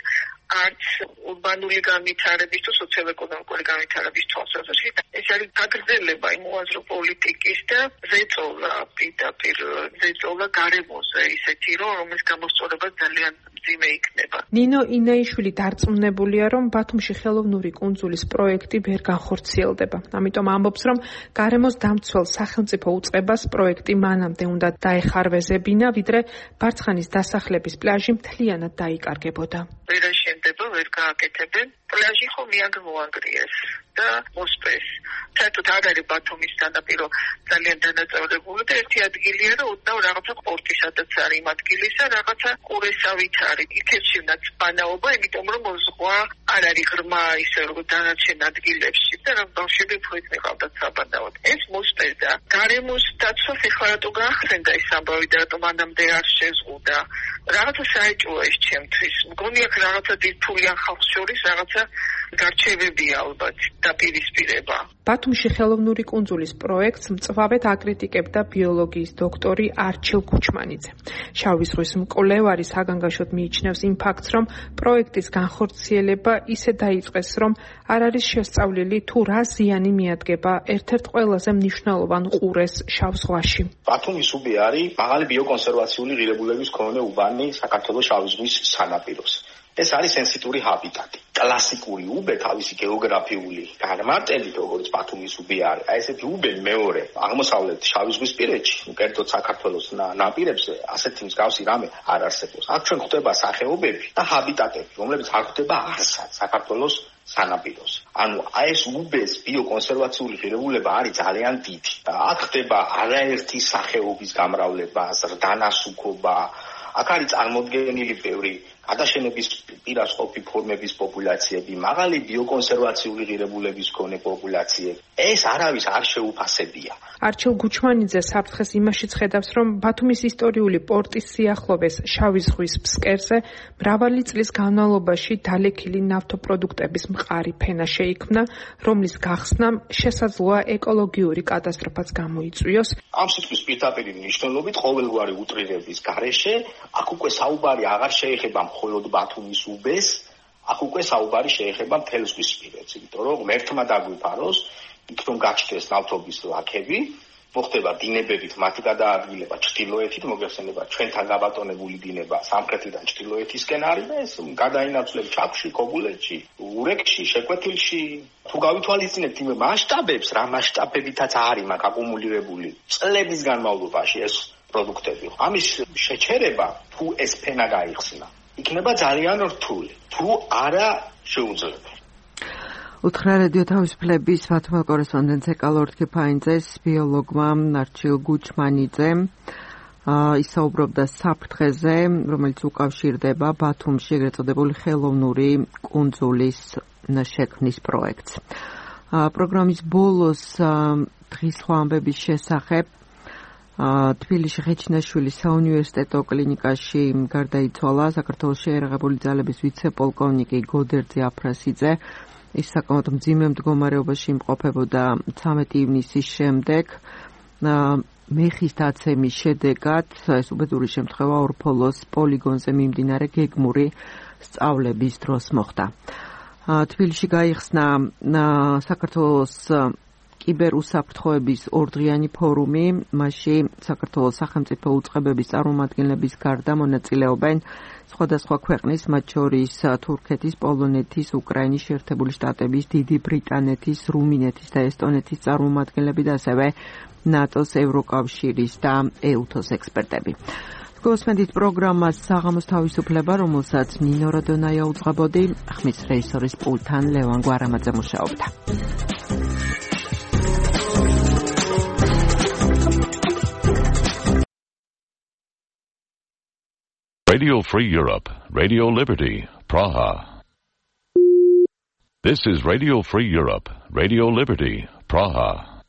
არც ურბანული განვითარების თუ სოციალ-ეკონომიკური განვითარების თვალსაზრისით. ეს არის გაგრძელება იმ უაზრო პოლიტიკის და ზეწოლა, პირდაპირ ზეწოლა გარემოზე ისეთი, რომლის გამოსწორება ძალიან მძიმე იქნება. ნინო ინაიშვილი დარწმუნებულია, რომ ბათუმში ხელოვნური კუნძულის პროექტი ვერ განხორციელდება. ამიტომ ამბობს, რომ გარემოს დამცველ სახელმწიფო უწყებას პროექტი მანამდე უნდა დაეხარვეზებინა, ვიდრე ბარცხანის დასახლების პლაჟი მთლიანად დაიკარგებოდა. ვერ აშენდება, ვერ გააკეთებენ. პლაჟი ხომ მიაგმოანგრიეს და მოსპეს. საერთოდ არ არის ბათუმის სანაპირო ძალიან დანაწევრებული და ერთი ადგილია, რომ უდნავ რაღაცა პორტი, სადაც არის იმ ადგილისა, რაღაცა ყურესავით არის. იქეთში უნდა ბანაობა, იმიტომ რომ ზღვა არ არის ღრმა ისე როგორც დანარჩენ ადგილებში და რომ ბავშვები ფუით მიყავდათ საბანაოდ. ეს მოსპეს და გარემოს დაცვას ეხლა რატო გაახსენდა ეს ამბავი და რატომ მანამდე არ შეზღუდა. რაღაცა საეჭვოა ეს ჩემთვის. მგონი აქ რაღაცა დიდფულიან ხალხს შორის რაღაცა გარჩევებია ალბათ დაპირისპირება. ბათუმში ხელოვნური კუნძულის პროექტს მწვავედ აკრიტიკებდა ბიოლოგიის დოქტორი არჩილ გუჩმანიძე. შავი ზღვის მკვლევარი საგანგაშოდ მიიჩნევს იმ ფაქტს, რომ პროექტის განხორციელება ისე დაიწყეს, რომ არ არის შესწავლილი თუ რა ზიანი მიადგება ერთ-ერთ ყველაზე მნიშვნელოვან ყურეს შავ ზღვაში. ბათუმის უბე არის მაღალი ბიოკონსერვაციული ღირებულების მქონე უბანი საქართველოს შავი ზღვის სანაპიროს. ეს არის სენსიტური ჰაბიტატი. კლასიკური უბე თავისი გეოგრაფიული განმარტებით, როგორც ბათუმის უბე არის. აი ესეთი უბე მეორე აღმოსავლეთ შავი ზღვის პირეთში, კერძოდ საქართველოს ნაპირებზე, ასეთი მსგავსი რამე არ არსებობს. აქ ჩვენ ხვდება სახეობები და ჰაბიტატები, რომლებიც არ ხვდება არსად საქართველოს სანაპიროს. ანუ აი ეს უბეს ბიოკონსერვაციული ღირებულება არის ძალიან დიდი. აქ ხდება არაერთი სახეობის გამრავლება, ზრდანასუქობა. აქ არის წარმოდგენილი ბევრი გადაშენების პირას ყოფი ფორმების პოპულაციები, მაღალი ბიოკონსერვაციული ღირებულების მქონე პოპულაციები. ეს არავის არ შეუფასებია. არჩილ გუჩმანიძე საფრთხეს იმაშიც ხედავს, რომ ბათუმის ისტორიული პორტის სიახლოვეს შავი ზღვის ფსკერზე მრავალი წლის განმავლობაში დალექილი ნავთობპროდუქტების მყარი ფენა შეიქმნა, რომლის გახსნამ შესაძლოა ეკოლოგიური კატასტროფაც გამოიწვიოს. ამ სიტყვის პირდაპირი მნიშვნელობით ყოველგვარი უტრირების გარეშე აქ უკვე საუბარი აღარ შეეხება მხოლოდ ბათუმის უბეს, აქ უკვე საუბარი შეეხება მთელ ზღვისპირეთს, იმიტომ რომ ღმერთმა დაგვიფაროს, იქ რომ გაჩნდეს ნავთობის ლაქები, მოხდება დინებებით მათი გადაადგილება ჩრდილოეთით, მოგეხსენება ჩვენთან გაბატონებული დინება სამხრეთიდან ჩრდილოეთისკენ არის და ეს გადაინაცვლებს ჩაქვში, ქობულეთში, ურეკში, შეკვეთილში. თუ გავითვალისწინებთ იმ მასშტაბებს, რა მასშტაბებითაც არის მაგ აკუმულირებული წლების განმავლობაში ეს პროდუქტები. ამის შეჩერება, თუ ეს ფენა გაიხსნა, იქნება ძალიან რთული, თუ არა შეუძლებელი. უთხრა რადიო თავისუფლების ბათუმელ კორესპონდენტს ეკალორთქი ფაინძეს ბიოლოგმა არჩილ გუჩმანიძემ ისაუბრობდა საფრთხეზე, რომელიც უკავშირდება ბათუმში ეგრეთ წოდებული ხელოვნური კუნძულის შექმნის პროექტს. პროგრამის ბოლოს დღის სხვა ამბების შესახებ თბილისში ხეჩინაშვილის საუნივერსიტეტო კლინიკაში გარდაიცვალა საქართველოს შეიარაღებული ძალების ვიცე-პოლკოვნიკი გოდერძი აფრასიძე. ის საკმაოდ მძიმე მდგომარეობაში იმყოფებოდა 13 ივნისის შემდეგ. მეხის დაცემის შედეგად ეს უბედური შემთხვევა ორფოლოს პოლიგონზე მიმდინარე გეგმური სწავლების დროს მოხდა. თბილისში გაიხსნა საქართველოს კიბერუსაფრთხოების ორდღიანი ფორუმი, მასში საქართველოს სახელმწიფო უწყებების წარმომადგენლების გარდა მონაწილეობენ სხვადასხვა ქვეყნის, მათ შორის თურქეთის, პოლონეთის, უკრაინის, შეერთებული შტატების, დიდი ბრიტანეთის, რუმინეთის და ესტონეთის წარმომადგენლები და ასევე ნატოს, ევროკავშირის და ეუთოს ექსპერტები. გოსმენდით პროგრამას საღამოს თავისუფლება, რომელსაც ნინო როდონაია უძღვებოდი, ხმის რეჟისორის პულტთან ლევან გვარამაძე მუშაობდა. Radio Free Europe, Radio Liberty, Praha. This is Radio Free Europe, Radio Liberty, Praha.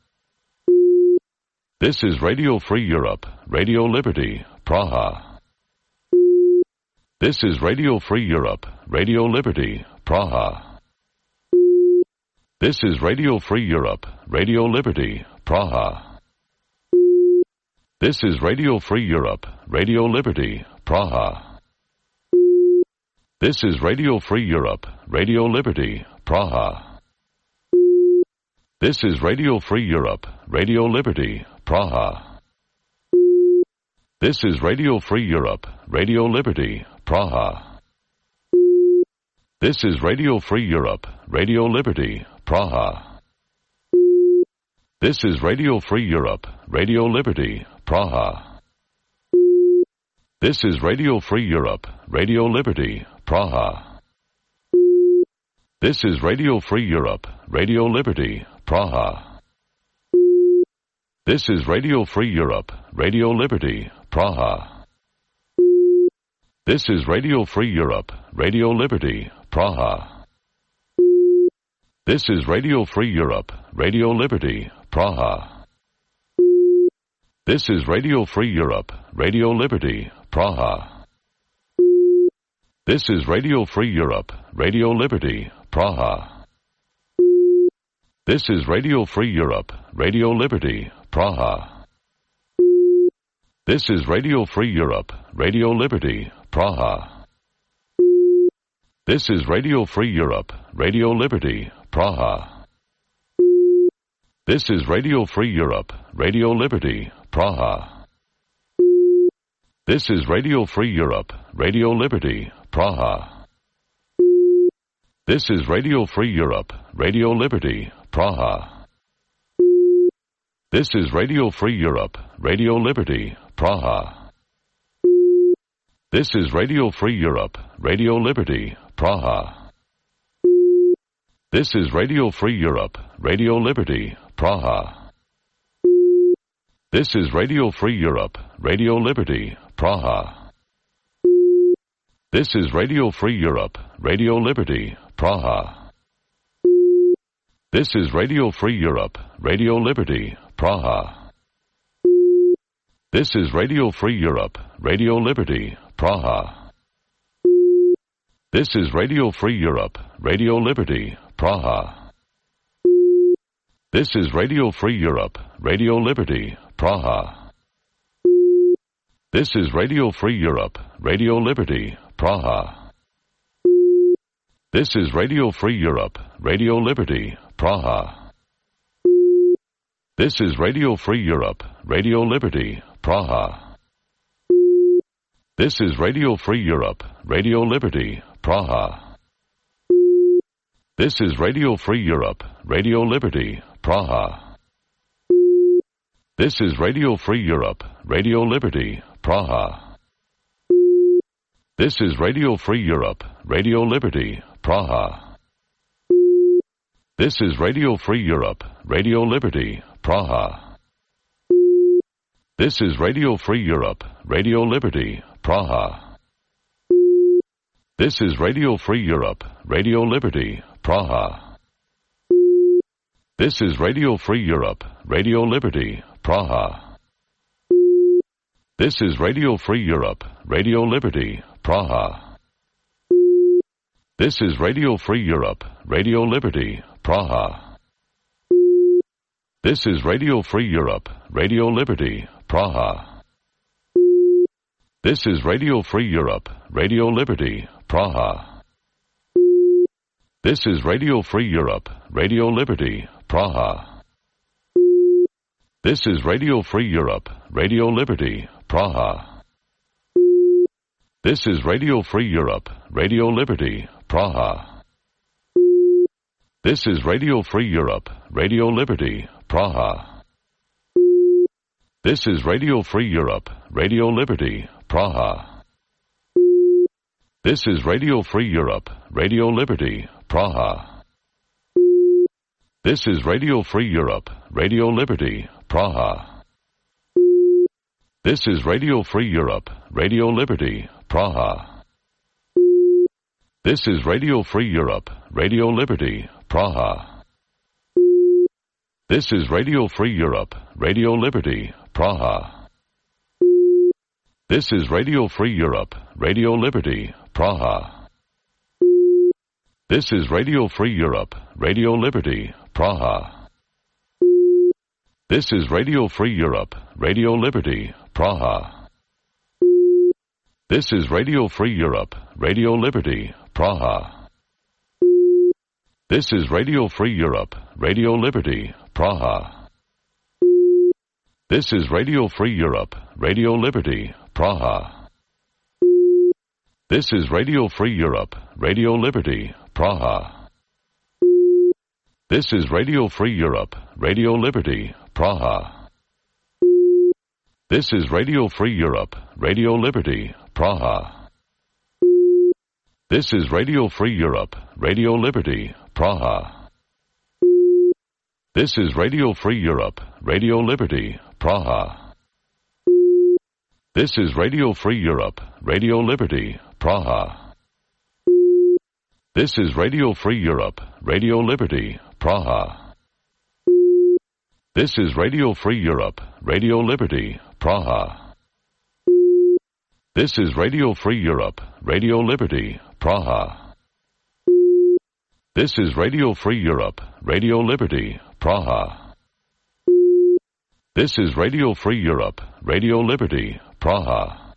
This is Radio Free Europe, Radio Liberty, Praha. This is Radio Free Europe, Radio Liberty, Praha. This is Radio Free Europe, Radio Liberty, Praha. This is Radio Free Europe, Radio Liberty, Praha. This is Radio Free Europe, Radio Liberty, Praha. This is Radio Free Europe, Radio Liberty, Praha. This is Radio Free Europe, Radio Liberty, Praha. This is Radio Free Europe, Radio Liberty, Praha. This is Radio Free Europe, Radio Liberty, Praha. This is Radio Free Europe, Radio Liberty, Praha. This is Radio Free Europe, Radio Liberty, Praha. This is Radio Free Europe, Radio Liberty, Praha. This is Radio Free Europe, Radio Liberty, Praha. This is Radio Free Europe, Radio Liberty, Praha. This is Radio Free Europe, Radio Liberty, Praha. This is Radio Free Europe, Radio Liberty, Praha. This is Radio Free Europe, Radio Liberty, Praha. This is Radio Free Europe, Radio Liberty, Praha. This is Radio Free Europe, Radio Liberty, Praha. This is Radio Free Europe, Radio Liberty, Praha. This is Radio Free Europe, Radio Liberty, Praha. This is Radio Free Europe, Radio Liberty, Praha. This is Radio Free Europe, Radio Liberty, Praha. This is Radio Free Europe, Radio Liberty, Praha. This is Radio Free Europe, Radio Liberty, Praha. This is Radio Free Europe, Radio Liberty, Praha. This is Radio Free Europe, Radio Liberty, Praha. This is Radio Free Europe, Radio Liberty, Praha. This is Radio Free Europe, Radio Liberty, Praha. This is Radio Free Europe, Radio Liberty, Praha. This is Radio Free Europe, Radio Liberty, Praha. This is Radio Free Europe, Radio Liberty, Praha. This is Radio Free Europe, Radio Liberty, Praha. This is Radio Free Europe, Radio Liberty, Praha. This is Radio Free Europe, Radio Liberty, Praha. This is Radio Free Europe, Radio Liberty, Praha. This is Radio Free Europe, Radio Liberty, Praha. This is Radio Free Europe, Radio Liberty, Praha. This is Radio Free Europe, Radio Liberty, Praha. This is Radio Free Europe, Radio Liberty, Praha. This is Radio Free Europe, Radio Liberty, Praha. This is Radio Free Europe, Radio Liberty, Praha. This is Radio Free Europe, Radio Liberty, Praha. This is Radio Free Europe, Radio Liberty, Praha. This is Radio Free Europe, Radio Liberty, Praha. This is Radio Free Europe, Radio Liberty, Praha. This is Radio Free Europe, Radio Liberty, Praha. This is Radio Free Europe, Radio Liberty, Praha. This is Radio Free Europe, Radio Liberty, Praha. This is Radio Free Europe, Radio Liberty, Praha. This is Radio Free Europe, Radio Liberty, Praha. This is Radio Free Europe, Radio Liberty, Praha. This is Radio Free Europe, Radio Liberty, Praha. This is Radio Free Europe, Radio Liberty, Praha. This is Radio Free Europe, Radio Liberty, Praha. This is Radio Free Europe, Radio Liberty, Praha. This is Radio Free Europe, Radio Liberty, Praha. This is Radio Free Europe, Radio Liberty, Praha. This is Radio Free Europe, Radio Liberty, Praha. This is Radio Free Europe, Radio Liberty, Praha. This is Radio Free Europe, Radio Liberty, Praha. This is Radio Free Europe, Radio Liberty, Praha. This is Radio Free Europe, Radio Liberty, Praha. This is Radio Free Europe, Radio Liberty, Praha. This is Radio Free Europe, Radio Liberty, Praha. This is Radio Free Europe, Radio Liberty, Praha. This is Radio Free Europe, Radio Liberty, Praha. This is Radio Free Europe, Radio Liberty, Praha. This is Radio Free Europe, Radio Liberty, Praha. This is Radio Free Europe, Radio Liberty, Praha. This is Radio Free Europe, Radio Liberty, Praha. This is Radio Free Europe, Radio Liberty, Praha. This is Radio Free Europe, Radio Liberty,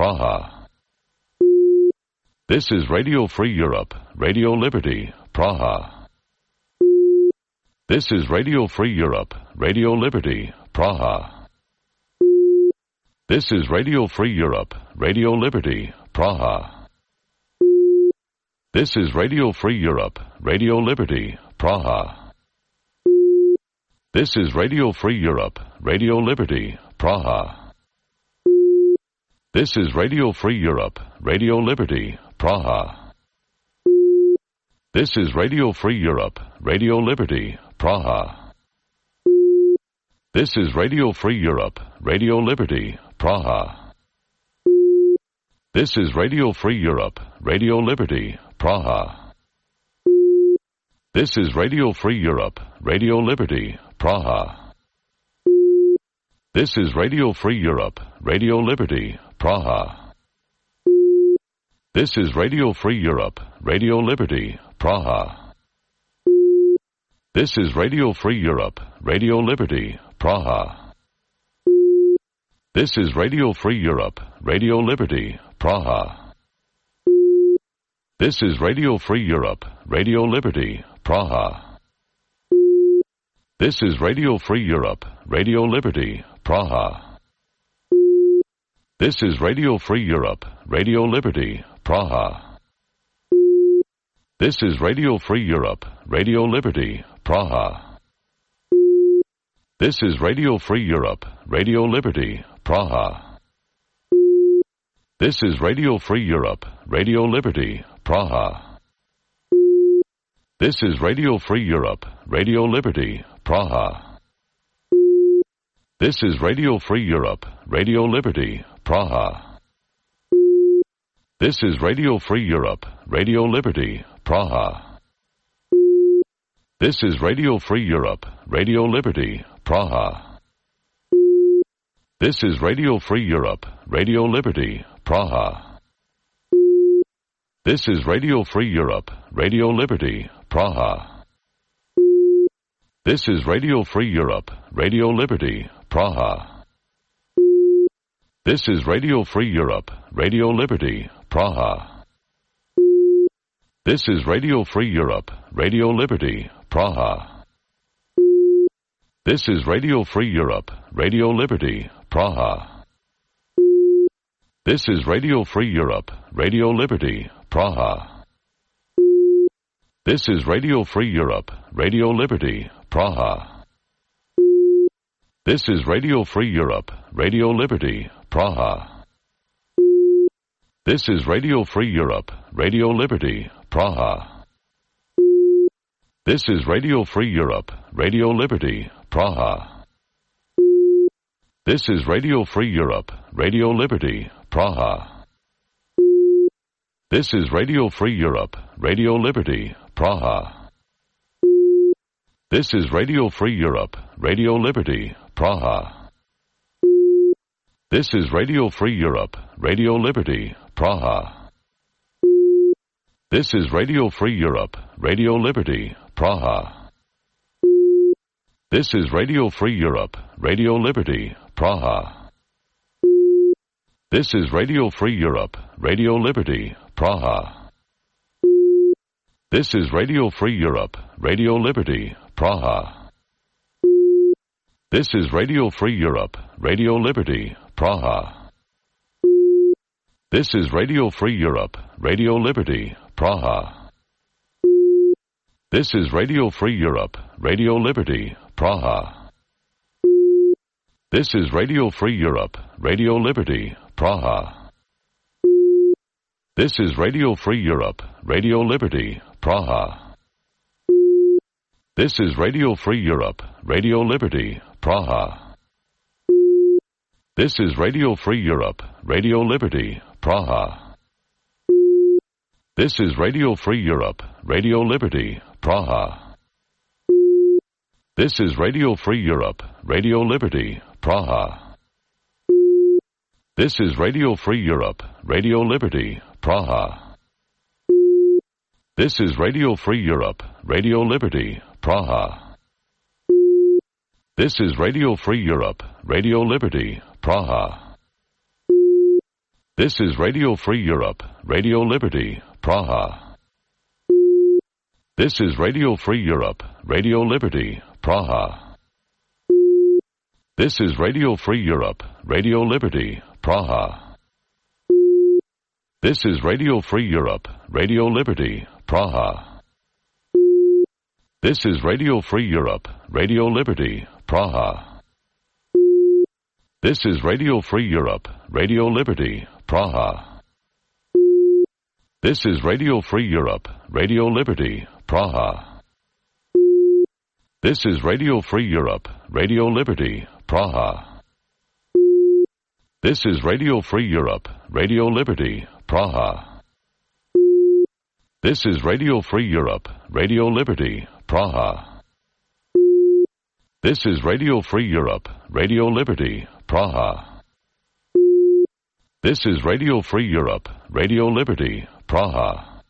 Praha. This is Radio Free Europe, Radio Liberty, Praha. This is Radio Free Europe, Radio Liberty, Praha. This is Radio Free Europe, Radio Liberty, Praha. This is Radio Free Europe, Radio Liberty, Praha. This is Radio Free Europe, Radio Liberty, Praha. This is Radio Free Europe, Radio Liberty, Praha. This is Radio Free Europe, Radio Liberty, Praha. This is Radio Free Europe, Radio Liberty, Praha. This is Radio Free Europe, Radio Liberty, Praha. This is Radio Free Europe, Radio Liberty, Praha. This is Radio Free Europe, Radio Liberty, Praha. This is Radio Free Europe, Radio Liberty, Praha. This is Radio Free Europe, Radio Liberty, Praha. This is Radio Free Europe, Radio Liberty, Praha. This is Radio Free Europe, Radio Liberty, Praha. This is Radio Free Europe, Radio Liberty, Praha. This is Radio Free Europe, Radio Liberty, Praha. This is Radio Free Europe, Radio Liberty, Praha. This is Radio Free Europe, Radio Liberty, Praha. This is Radio Free Europe, Radio Liberty, Praha. This is Radio Free Europe, Radio Liberty, Praha. This is Radio Free Europe, Radio Liberty, Praha. This is Radio Free Europe, Radio Liberty, Praha. This is Radio Free Europe, Radio Liberty, Praha. This is Radio Free Europe, Radio Liberty, Praha. This is Radio Free Europe, Radio Liberty, Praha. This is Radio Free Europe, Radio Liberty, Praha. This is Radio Free Europe, Radio Liberty, Praha. This is Radio Free Europe, Radio Liberty, Praha. This is Radio Free Europe, Radio Liberty, Praha. This is Radio Free Europe, Radio Liberty, Praha. This is Radio Free Europe, Radio Liberty, Praha. This is Radio Free Europe, Radio Liberty, Praha. This is Radio Free Europe, Radio Liberty, Praha. This is Radio Free Europe, Radio Liberty, Praha. This is Radio Free Europe, Radio Liberty, Praha. This is Radio Free Europe, Radio Liberty, Praha. This is Radio Free Europe, Radio Liberty, Praha. This is Radio Free Europe, Radio Liberty, Praha. This is Radio Free Europe, Radio Liberty, Praha. This is Radio Free Europe, Radio Liberty, Praha. This is Radio Free Europe, Radio Liberty, Praha. This is Radio Free Europe, Radio Liberty, Praha. This is Radio Free Europe, Radio Liberty, Praha. This is Radio Free Europe, Radio Liberty, Praha. This is Radio Free Europe, Radio Liberty, Praha. This is Radio Free Europe, Radio Liberty, Praha. This is Radio Free Europe, Radio Liberty, Praha. This is Radio Free Europe, Radio Liberty, Praha. This is Radio Free Europe, Radio Liberty, Praha. This is Radio Free Europe, Radio Liberty, Praha. This is Radio Free Europe, Radio Liberty, Praha. This is Radio Free Europe, Radio Liberty, Praha. This is Radio Free Europe, Radio Liberty, Praha. This is Radio Free Europe, Radio Liberty, Praha. This is Radio Free Europe, Radio Liberty, Praha. This is Radio Free Europe, Radio Liberty, Praha. This is Radio Free Europe, Radio Liberty, Praha. This is Radio Free Europe, Radio Liberty, Praha. This is Radio Free Europe, Radio Liberty, Praha. This is Radio Free Europe, Radio Liberty, Praha. This is Radio Free Europe, Radio Liberty, Praha. This is Radio Free Europe, Radio Liberty, Praha. This is Radio Free Europe, Radio Liberty, Praha. This is Radio Free Europe, Radio Liberty, Praha. This is Radio Free Europe, Radio Liberty, Praha. This is Radio Free Europe, Radio Liberty, Praha. This is Radio Free Europe, Radio Liberty, Praha.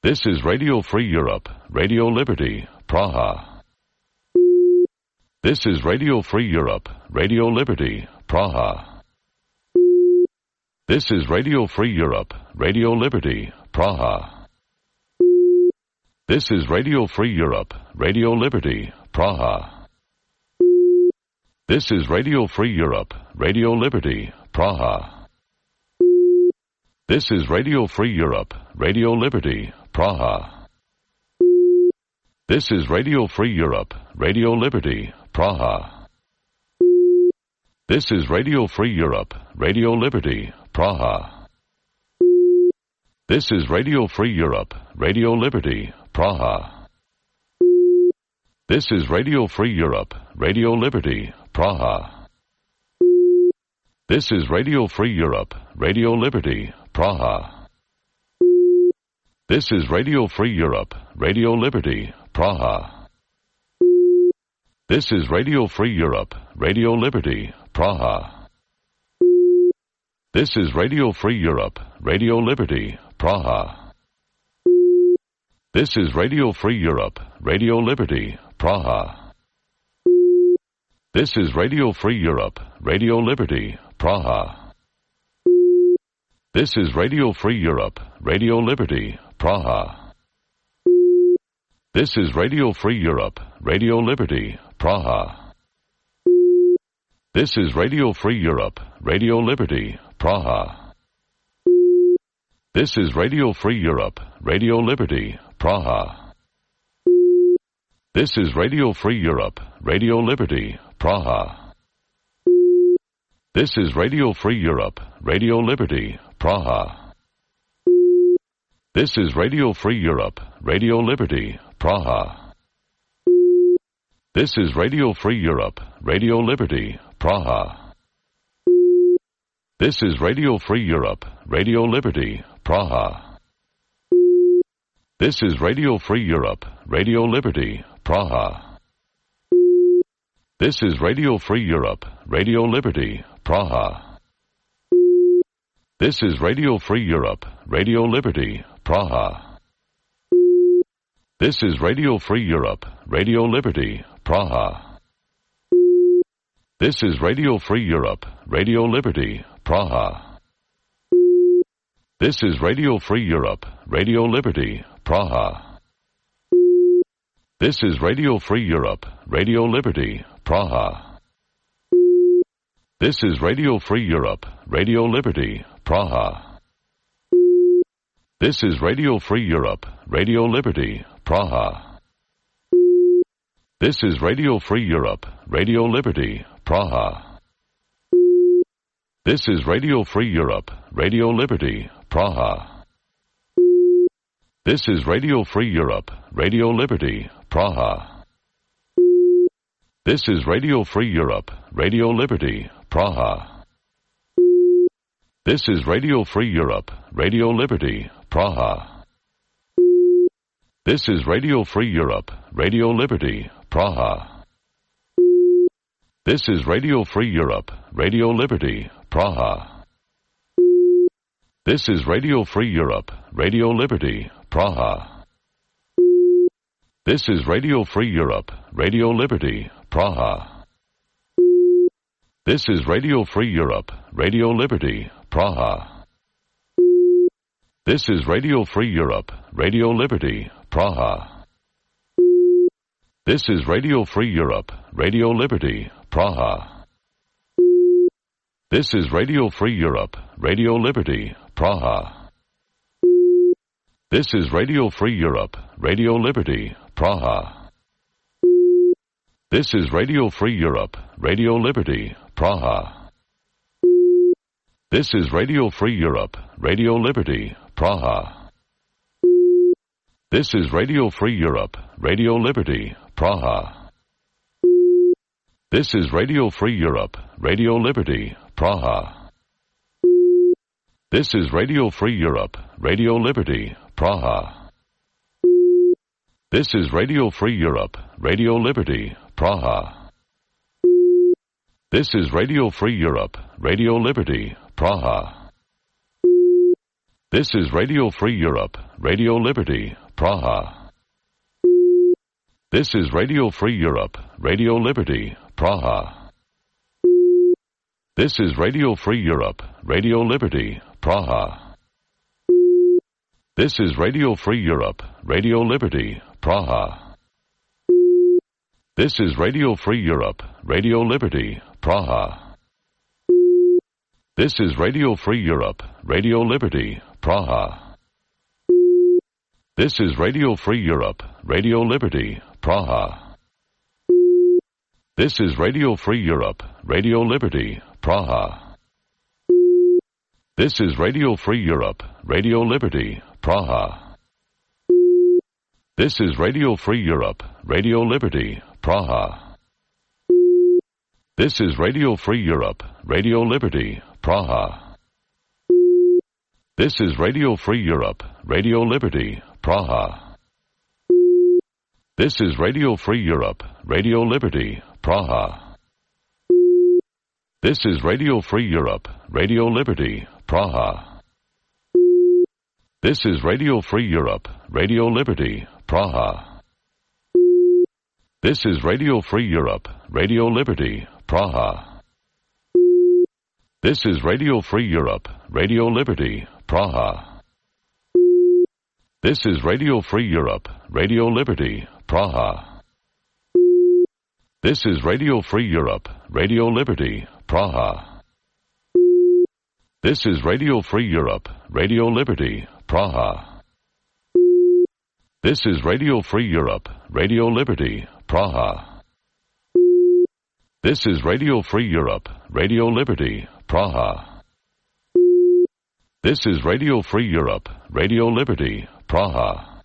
This is Radio Free Europe, Radio Liberty, Praha. This is Radio Free Europe, Radio Liberty, Praha. This is Radio Free Europe, Radio Liberty, Praha. This is Radio Free Europe, Radio Liberty, Praha. This is Radio Free Europe, Radio Liberty, Praha. This is Radio Free Europe, Radio Liberty, Praha. This is Radio Free Europe, Radio Liberty, Praha. This is Radio Free Europe, Radio Liberty, Praha. This is Radio Free Europe, Radio Liberty, Praha. This is Radio Free Europe, Radio Liberty, Praha. This is Radio Free Europe, Radio Liberty, Praha. This is Radio Free Europe, Radio Liberty, Praha. This is Radio Free Europe, Radio Liberty, Praha. This is Radio Free Europe, Radio Liberty, Praha. This is Radio Free Europe, Radio Liberty, Praha. This is Radio Free Europe, Radio Liberty, Praha. This is Radio Free Europe, Radio Liberty, Praha. This is Radio Free Europe, Radio Liberty, Praha. This is Radio Free Europe, Radio Liberty, Praha. This is Radio Free Europe, Radio Liberty, Praha. This is Radio Free Europe, Radio Liberty, Praha. This is Radio Free Europe, Radio Liberty, Praha. This is Radio Free Europe, Radio Liberty, Praha. This is Radio Free Europe, Radio Liberty, Praha. This is Radio Free Europe, Radio Liberty, Praha. This is Radio Free Europe, Radio Liberty, Praha. This is Radio Free Europe, Radio Liberty, Praha. This is Radio Free Europe, Radio Liberty, Praha. This is Radio Free Europe, Radio Liberty, Praha. This is Radio Free Europe, Radio Liberty, Praha. This is Radio Free Europe, Radio Liberty, Praha. This is Radio Free Europe, Radio Liberty, Praha. This is Radio Free Europe, Radio Liberty, Praha. This is Radio Free Europe, Radio Liberty, Praha. This is Radio Free Europe, Radio Liberty, Praha. This is Radio Free Europe, Radio Liberty, Praha. This is Radio Free Europe, Radio Liberty, Praha. This is Radio Free Europe, Radio Liberty, Praha. This is Radio Free Europe, Radio Liberty, Praha. This is Radio Free Europe, Radio Liberty, Praha. This is Radio Free Europe, Radio Liberty, Praha. This is Radio Free Europe, Radio Liberty, Praha. This is Radio Free Europe, Radio Liberty, Praha. This is Radio Free Europe, Radio Liberty, Praha. This is Radio Free Europe, Radio Liberty, Praha. This is Radio Free Europe, Radio Liberty, Praha. This is Radio Free Europe, Radio Liberty, Praha. This is Radio Free Europe, Radio Liberty, Praha. This is Radio Free Europe, Radio Liberty, Praha. This is Radio Free Europe, Radio Liberty, Praha. This is Radio Free Europe, Radio Liberty, Praha. This is Radio Free Europe, Radio Liberty, Praha. This is Radio Free Europe, Radio Liberty, Praha. This is Radio Free Europe, Radio Liberty, Praha. This is Radio Free Europe, Radio Liberty, Praha. This is Radio Free Europe, Radio Liberty, Praha. This is Radio Free Europe, Radio Liberty, Praha. This is Radio Free Europe, Radio Liberty, Praha. This is Radio Free Europe, Radio Liberty, Praha. This is Radio Free Europe, Radio Liberty, Praha. This is Radio Free Europe, Radio Liberty, Praha. This is Radio Free Europe, Radio Liberty, Praha. This is Radio Free Europe, Radio Liberty, Praha. This is Radio Free Europe, Radio Liberty, Praha. This is Radio Free Europe, Radio Liberty, Praha. This is Radio Free Europe, Radio Liberty, Praha. This is Radio Free Europe, Radio Liberty, Praha. This is Radio Free Europe, Radio Liberty, Praha. This is Radio Free Europe, Radio Liberty, Praha. This is Radio Free Europe, Radio Liberty, Praha. This is Radio Free Europe, Radio Liberty, Praha. This is Radio Free Europe, Radio Liberty, Praha. This is Radio Free Europe, Radio Liberty, Praha. This is Radio Free Europe, Radio Liberty, Praha. This is Radio Free Europe, Radio Liberty, Praha. This is Radio Free Europe, Radio Liberty, Praha. This is Radio Free Europe, Radio Liberty, Praha. This is Radio Free Europe, Radio Liberty, Praha.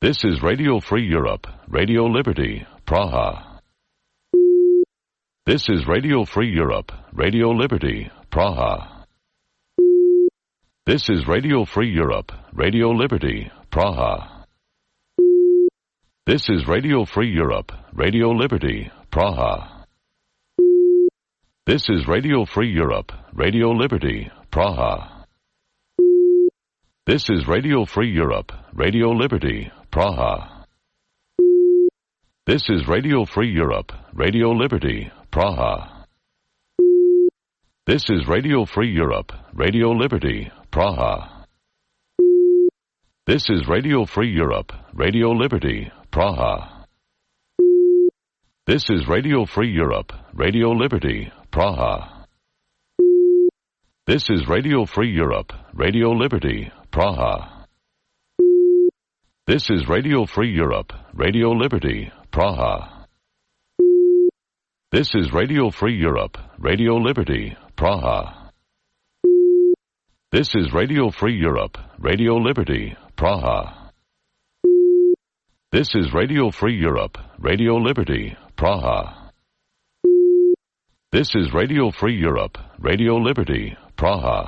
This is Radio Free Europe, Radio Liberty, Praha. This is Radio Free Europe, Radio Liberty, Praha. This is Radio Free Europe, Radio Liberty, Praha. This is Radio Free Europe, Radio Liberty, Praha. This is Radio Free Europe, Radio Liberty, Praha. This is Radio Free Europe, Radio Liberty, Praha. This is Radio Free Europe, Radio Liberty, Praha. This is Radio Free Europe, Radio Liberty, Praha. This is Radio Free Europe, Radio Liberty, Praha. This is Radio Free Europe, Radio Liberty, Praha. This is Radio Free Europe, Radio Liberty, Praha. This is Radio Free Europe, Radio Liberty, Praha. This is Radio Free Europe, Radio Liberty, Praha. This is Radio Free Europe, Radio Liberty, Praha. This is Radio Free Europe, Radio Liberty, Praha. This is Radio Free Europe, Radio Liberty, Praha.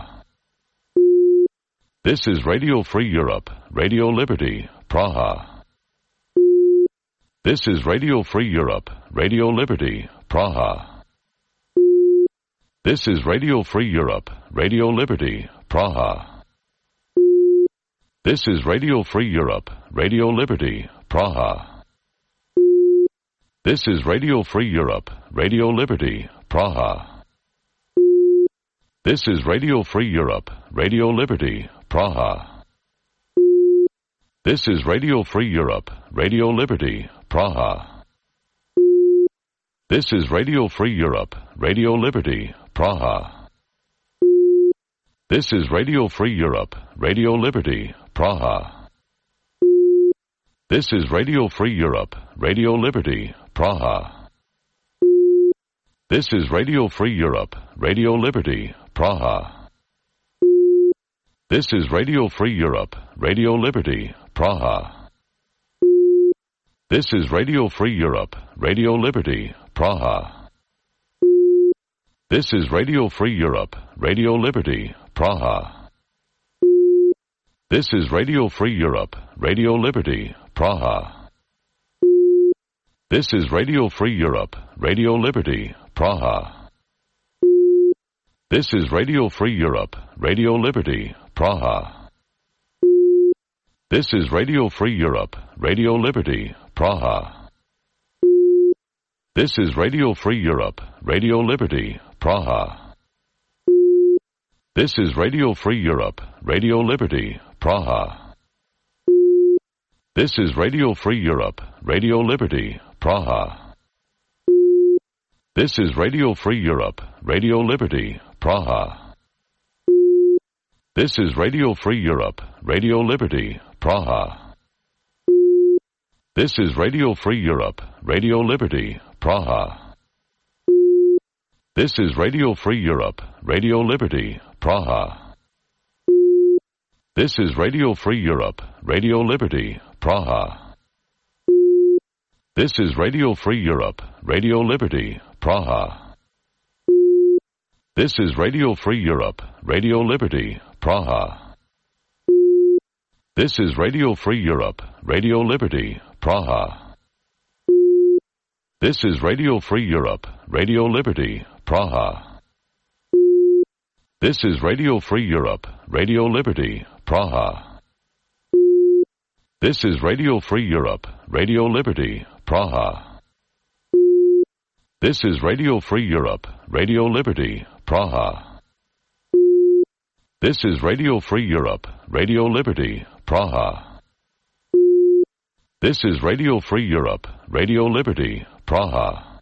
This is Radio Free Europe, Radio Liberty, Praha. This is Radio Free Europe, Radio Liberty, Praha. This is Radio Free Europe, Radio Liberty, Praha. This is Radio Free Europe, Radio Liberty, Praha. This is Radio Free Europe, Radio Liberty, Praha. This is Radio Free Europe, Radio Liberty, Praha. This is Radio Free Europe, Radio Liberty, Praha. This is Radio Free Europe, Radio Liberty, Praha. This is Radio Free Europe, Radio Liberty, Praha. This is Radio Free Europe, Radio Liberty, Praha. This is Radio Free Europe, Radio Liberty, Praha. This is Radio Free Europe, Radio Liberty, Praha. This is Radio Free Europe, Radio Liberty, Praha. This is Radio Free Europe, Radio Liberty, Praha. This is Radio Free Europe, Radio Liberty, Praha. This is Radio Free Europe, Radio Liberty, Praha. This is Radio Free Europe, Radio Liberty, Praha. This is Radio Free Europe, Radio Liberty, Praha. This is Radio Free Europe, Radio Liberty, Praha. This is Radio Free Europe, Radio Liberty, Praha. This is Radio Free Europe, Radio Liberty, Praha. This is Radio Free Europe, Radio Liberty, Praha. This is Radio Free Europe, Radio Liberty, Praha. This is Radio Free Europe, Radio Liberty, Praha. This is Radio Free Europe, Radio Liberty, Praha. This is Radio Free Europe, Radio Liberty, Praha. This is Radio Free Europe, Radio Liberty, Praha. This is Radio Free Europe, Radio Liberty, Praha. This is Radio Free Europe, Radio Liberty, Praha. This is Radio Free Europe, Radio Liberty, Praha. This is Radio Free Europe, Radio Liberty, Praha. This is Radio Free Europe, Radio Liberty, Praha. This is Radio Free Europe, Radio Liberty, Praha. This is Radio Free Europe, Radio Liberty, Praha. This is Radio Free Europe, Radio Liberty, Praha.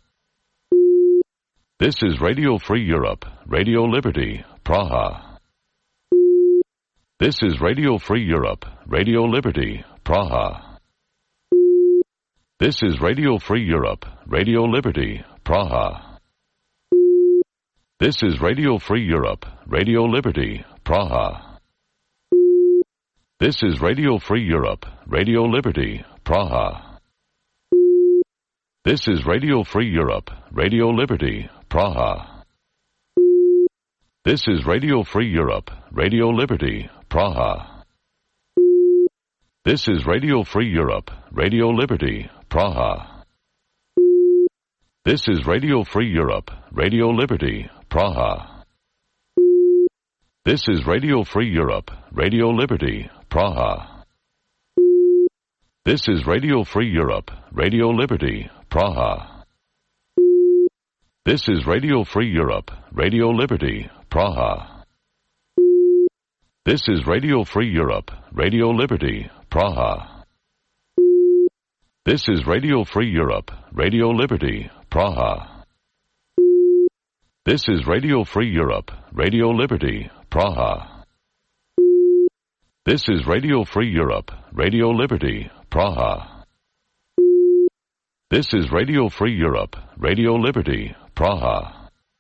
This is Radio Free Europe, Radio Liberty, Praha. This is Radio Free Europe, Radio Liberty, Praha. This is Radio Free Europe, Radio Liberty, Praha. This is Radio Free Europe, Radio Liberty, Praha. This is Radio Free Europe, Radio Liberty, Praha. This is Radio Free Europe, Radio Liberty, Praha. This is Radio Free Europe, Radio Liberty, Praha. This is Radio Free Europe, Radio Liberty, Praha. This is Radio Free Europe, Radio Liberty, Praha. This is Radio Free Europe, Radio Liberty, Praha. This is Radio Free Europe, Radio Liberty, Praha. This is Radio Free Europe, Radio Liberty, Praha. This is Radio Free Europe, Radio Liberty, Praha. This is Radio Free Europe, Radio Liberty, Praha. This is Radio Free Europe, Radio Liberty, Praha. This is Radio Free Europe, Radio Liberty, Praha. This is Radio Free Europe, Radio Liberty, Praha. This is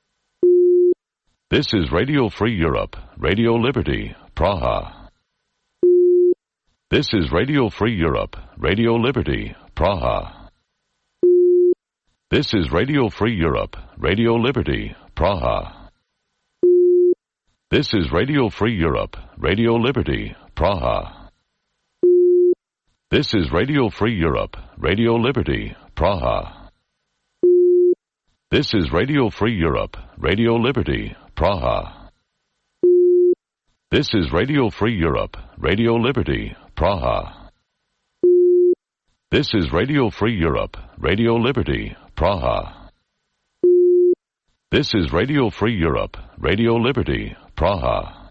Radio Free Europe, Radio Liberty, Praha. This is Radio Free Europe, Radio Liberty, Praha. This is Radio Free Europe, Radio Liberty, Praha. This is Radio Free Europe, Radio Liberty, Praha. This is Radio Free Europe, Radio Liberty, Praha. This is Radio Free Europe, Radio Liberty, Praha. This is Radio Free Europe, Radio Liberty, Praha. This is Radio Free Europe, Radio Liberty, Praha. This is Radio Free Europe, Radio Liberty, Praha.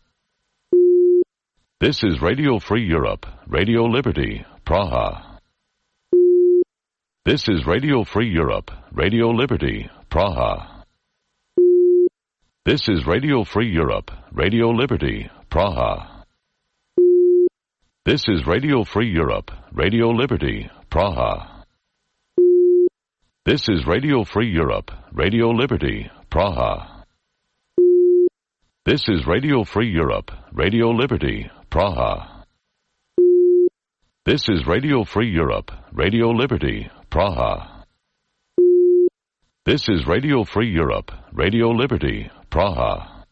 This is Radio Free Europe, Radio Liberty, Praha. This is Radio Free Europe, Radio Liberty, Praha. This is Radio Free Europe, Radio Liberty, Praha. This is Radio Free Europe, Radio Liberty, Praha. This is Radio Free Europe, Radio Liberty, Praha. This is Radio Free Europe, Radio Liberty, Praha. This is Radio Free Europe, Radio Liberty, Praha. This is Radio Free Europe, Radio Liberty, Praha.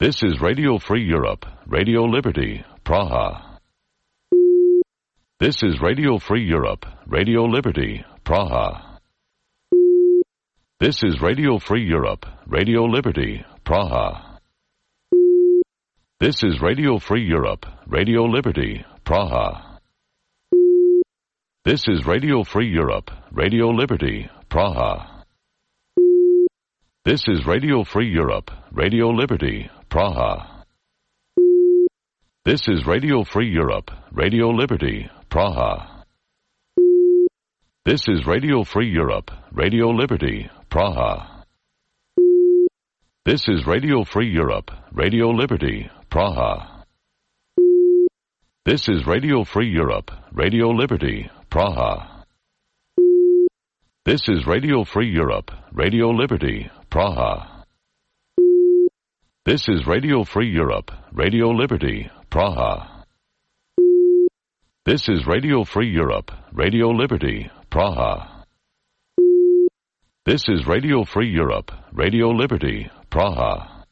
This is Radio Free Europe, Radio Liberty, Praha. This is Radio Free Europe, Radio Liberty, Praha. This is Radio Free Europe, Radio Liberty, Praha. This is Radio Free Europe, Radio Liberty, Praha. This is Radio Free Europe, Radio Liberty, Praha. This is Radio Free Europe, Radio Liberty, Praha. This is Radio Free Europe, Radio Liberty, Praha. This is Radio Free Europe, Radio Liberty, Praha. This is Radio Free Europe, Radio Liberty, Praha. This is Radio Free Europe, Radio Liberty, Praha. This is Radio Free Europe, Radio Liberty, Praha. This is Radio Free Europe, Radio Liberty, Praha. This is Radio Free Europe, Radio Liberty, Praha. This is Radio Free Europe, Radio Liberty, Praha.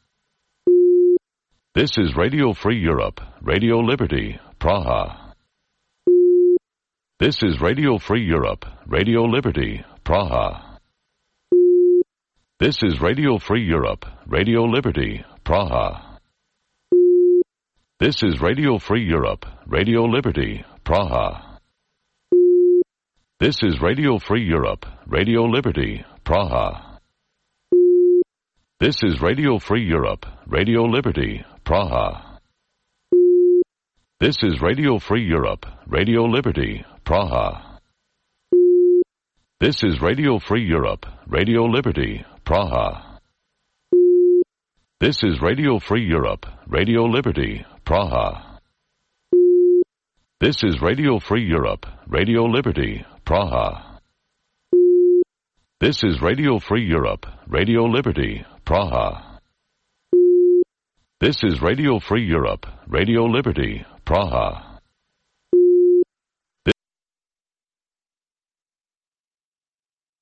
This is Radio Free Europe, Radio Liberty, Praha. This is Radio Free Europe, Radio Liberty, Praha. This is Radio Free Europe, Radio Liberty, Praha. This is Radio Free Europe, Radio Liberty, Praha. This is Radio Free Europe, Radio Liberty, Praha. This is Radio Free Europe, Radio Liberty, Praha. This is Radio Free Europe, Radio Liberty, Praha. This is Radio Free Europe, Radio Liberty, Praha. This is Radio Free Europe, Radio Liberty, Praha. This is Radio Free Europe, Radio Liberty, Praha. This is Radio Free Europe, Radio Liberty, Praha. This is Radio Free Europe, Radio Liberty, Praha.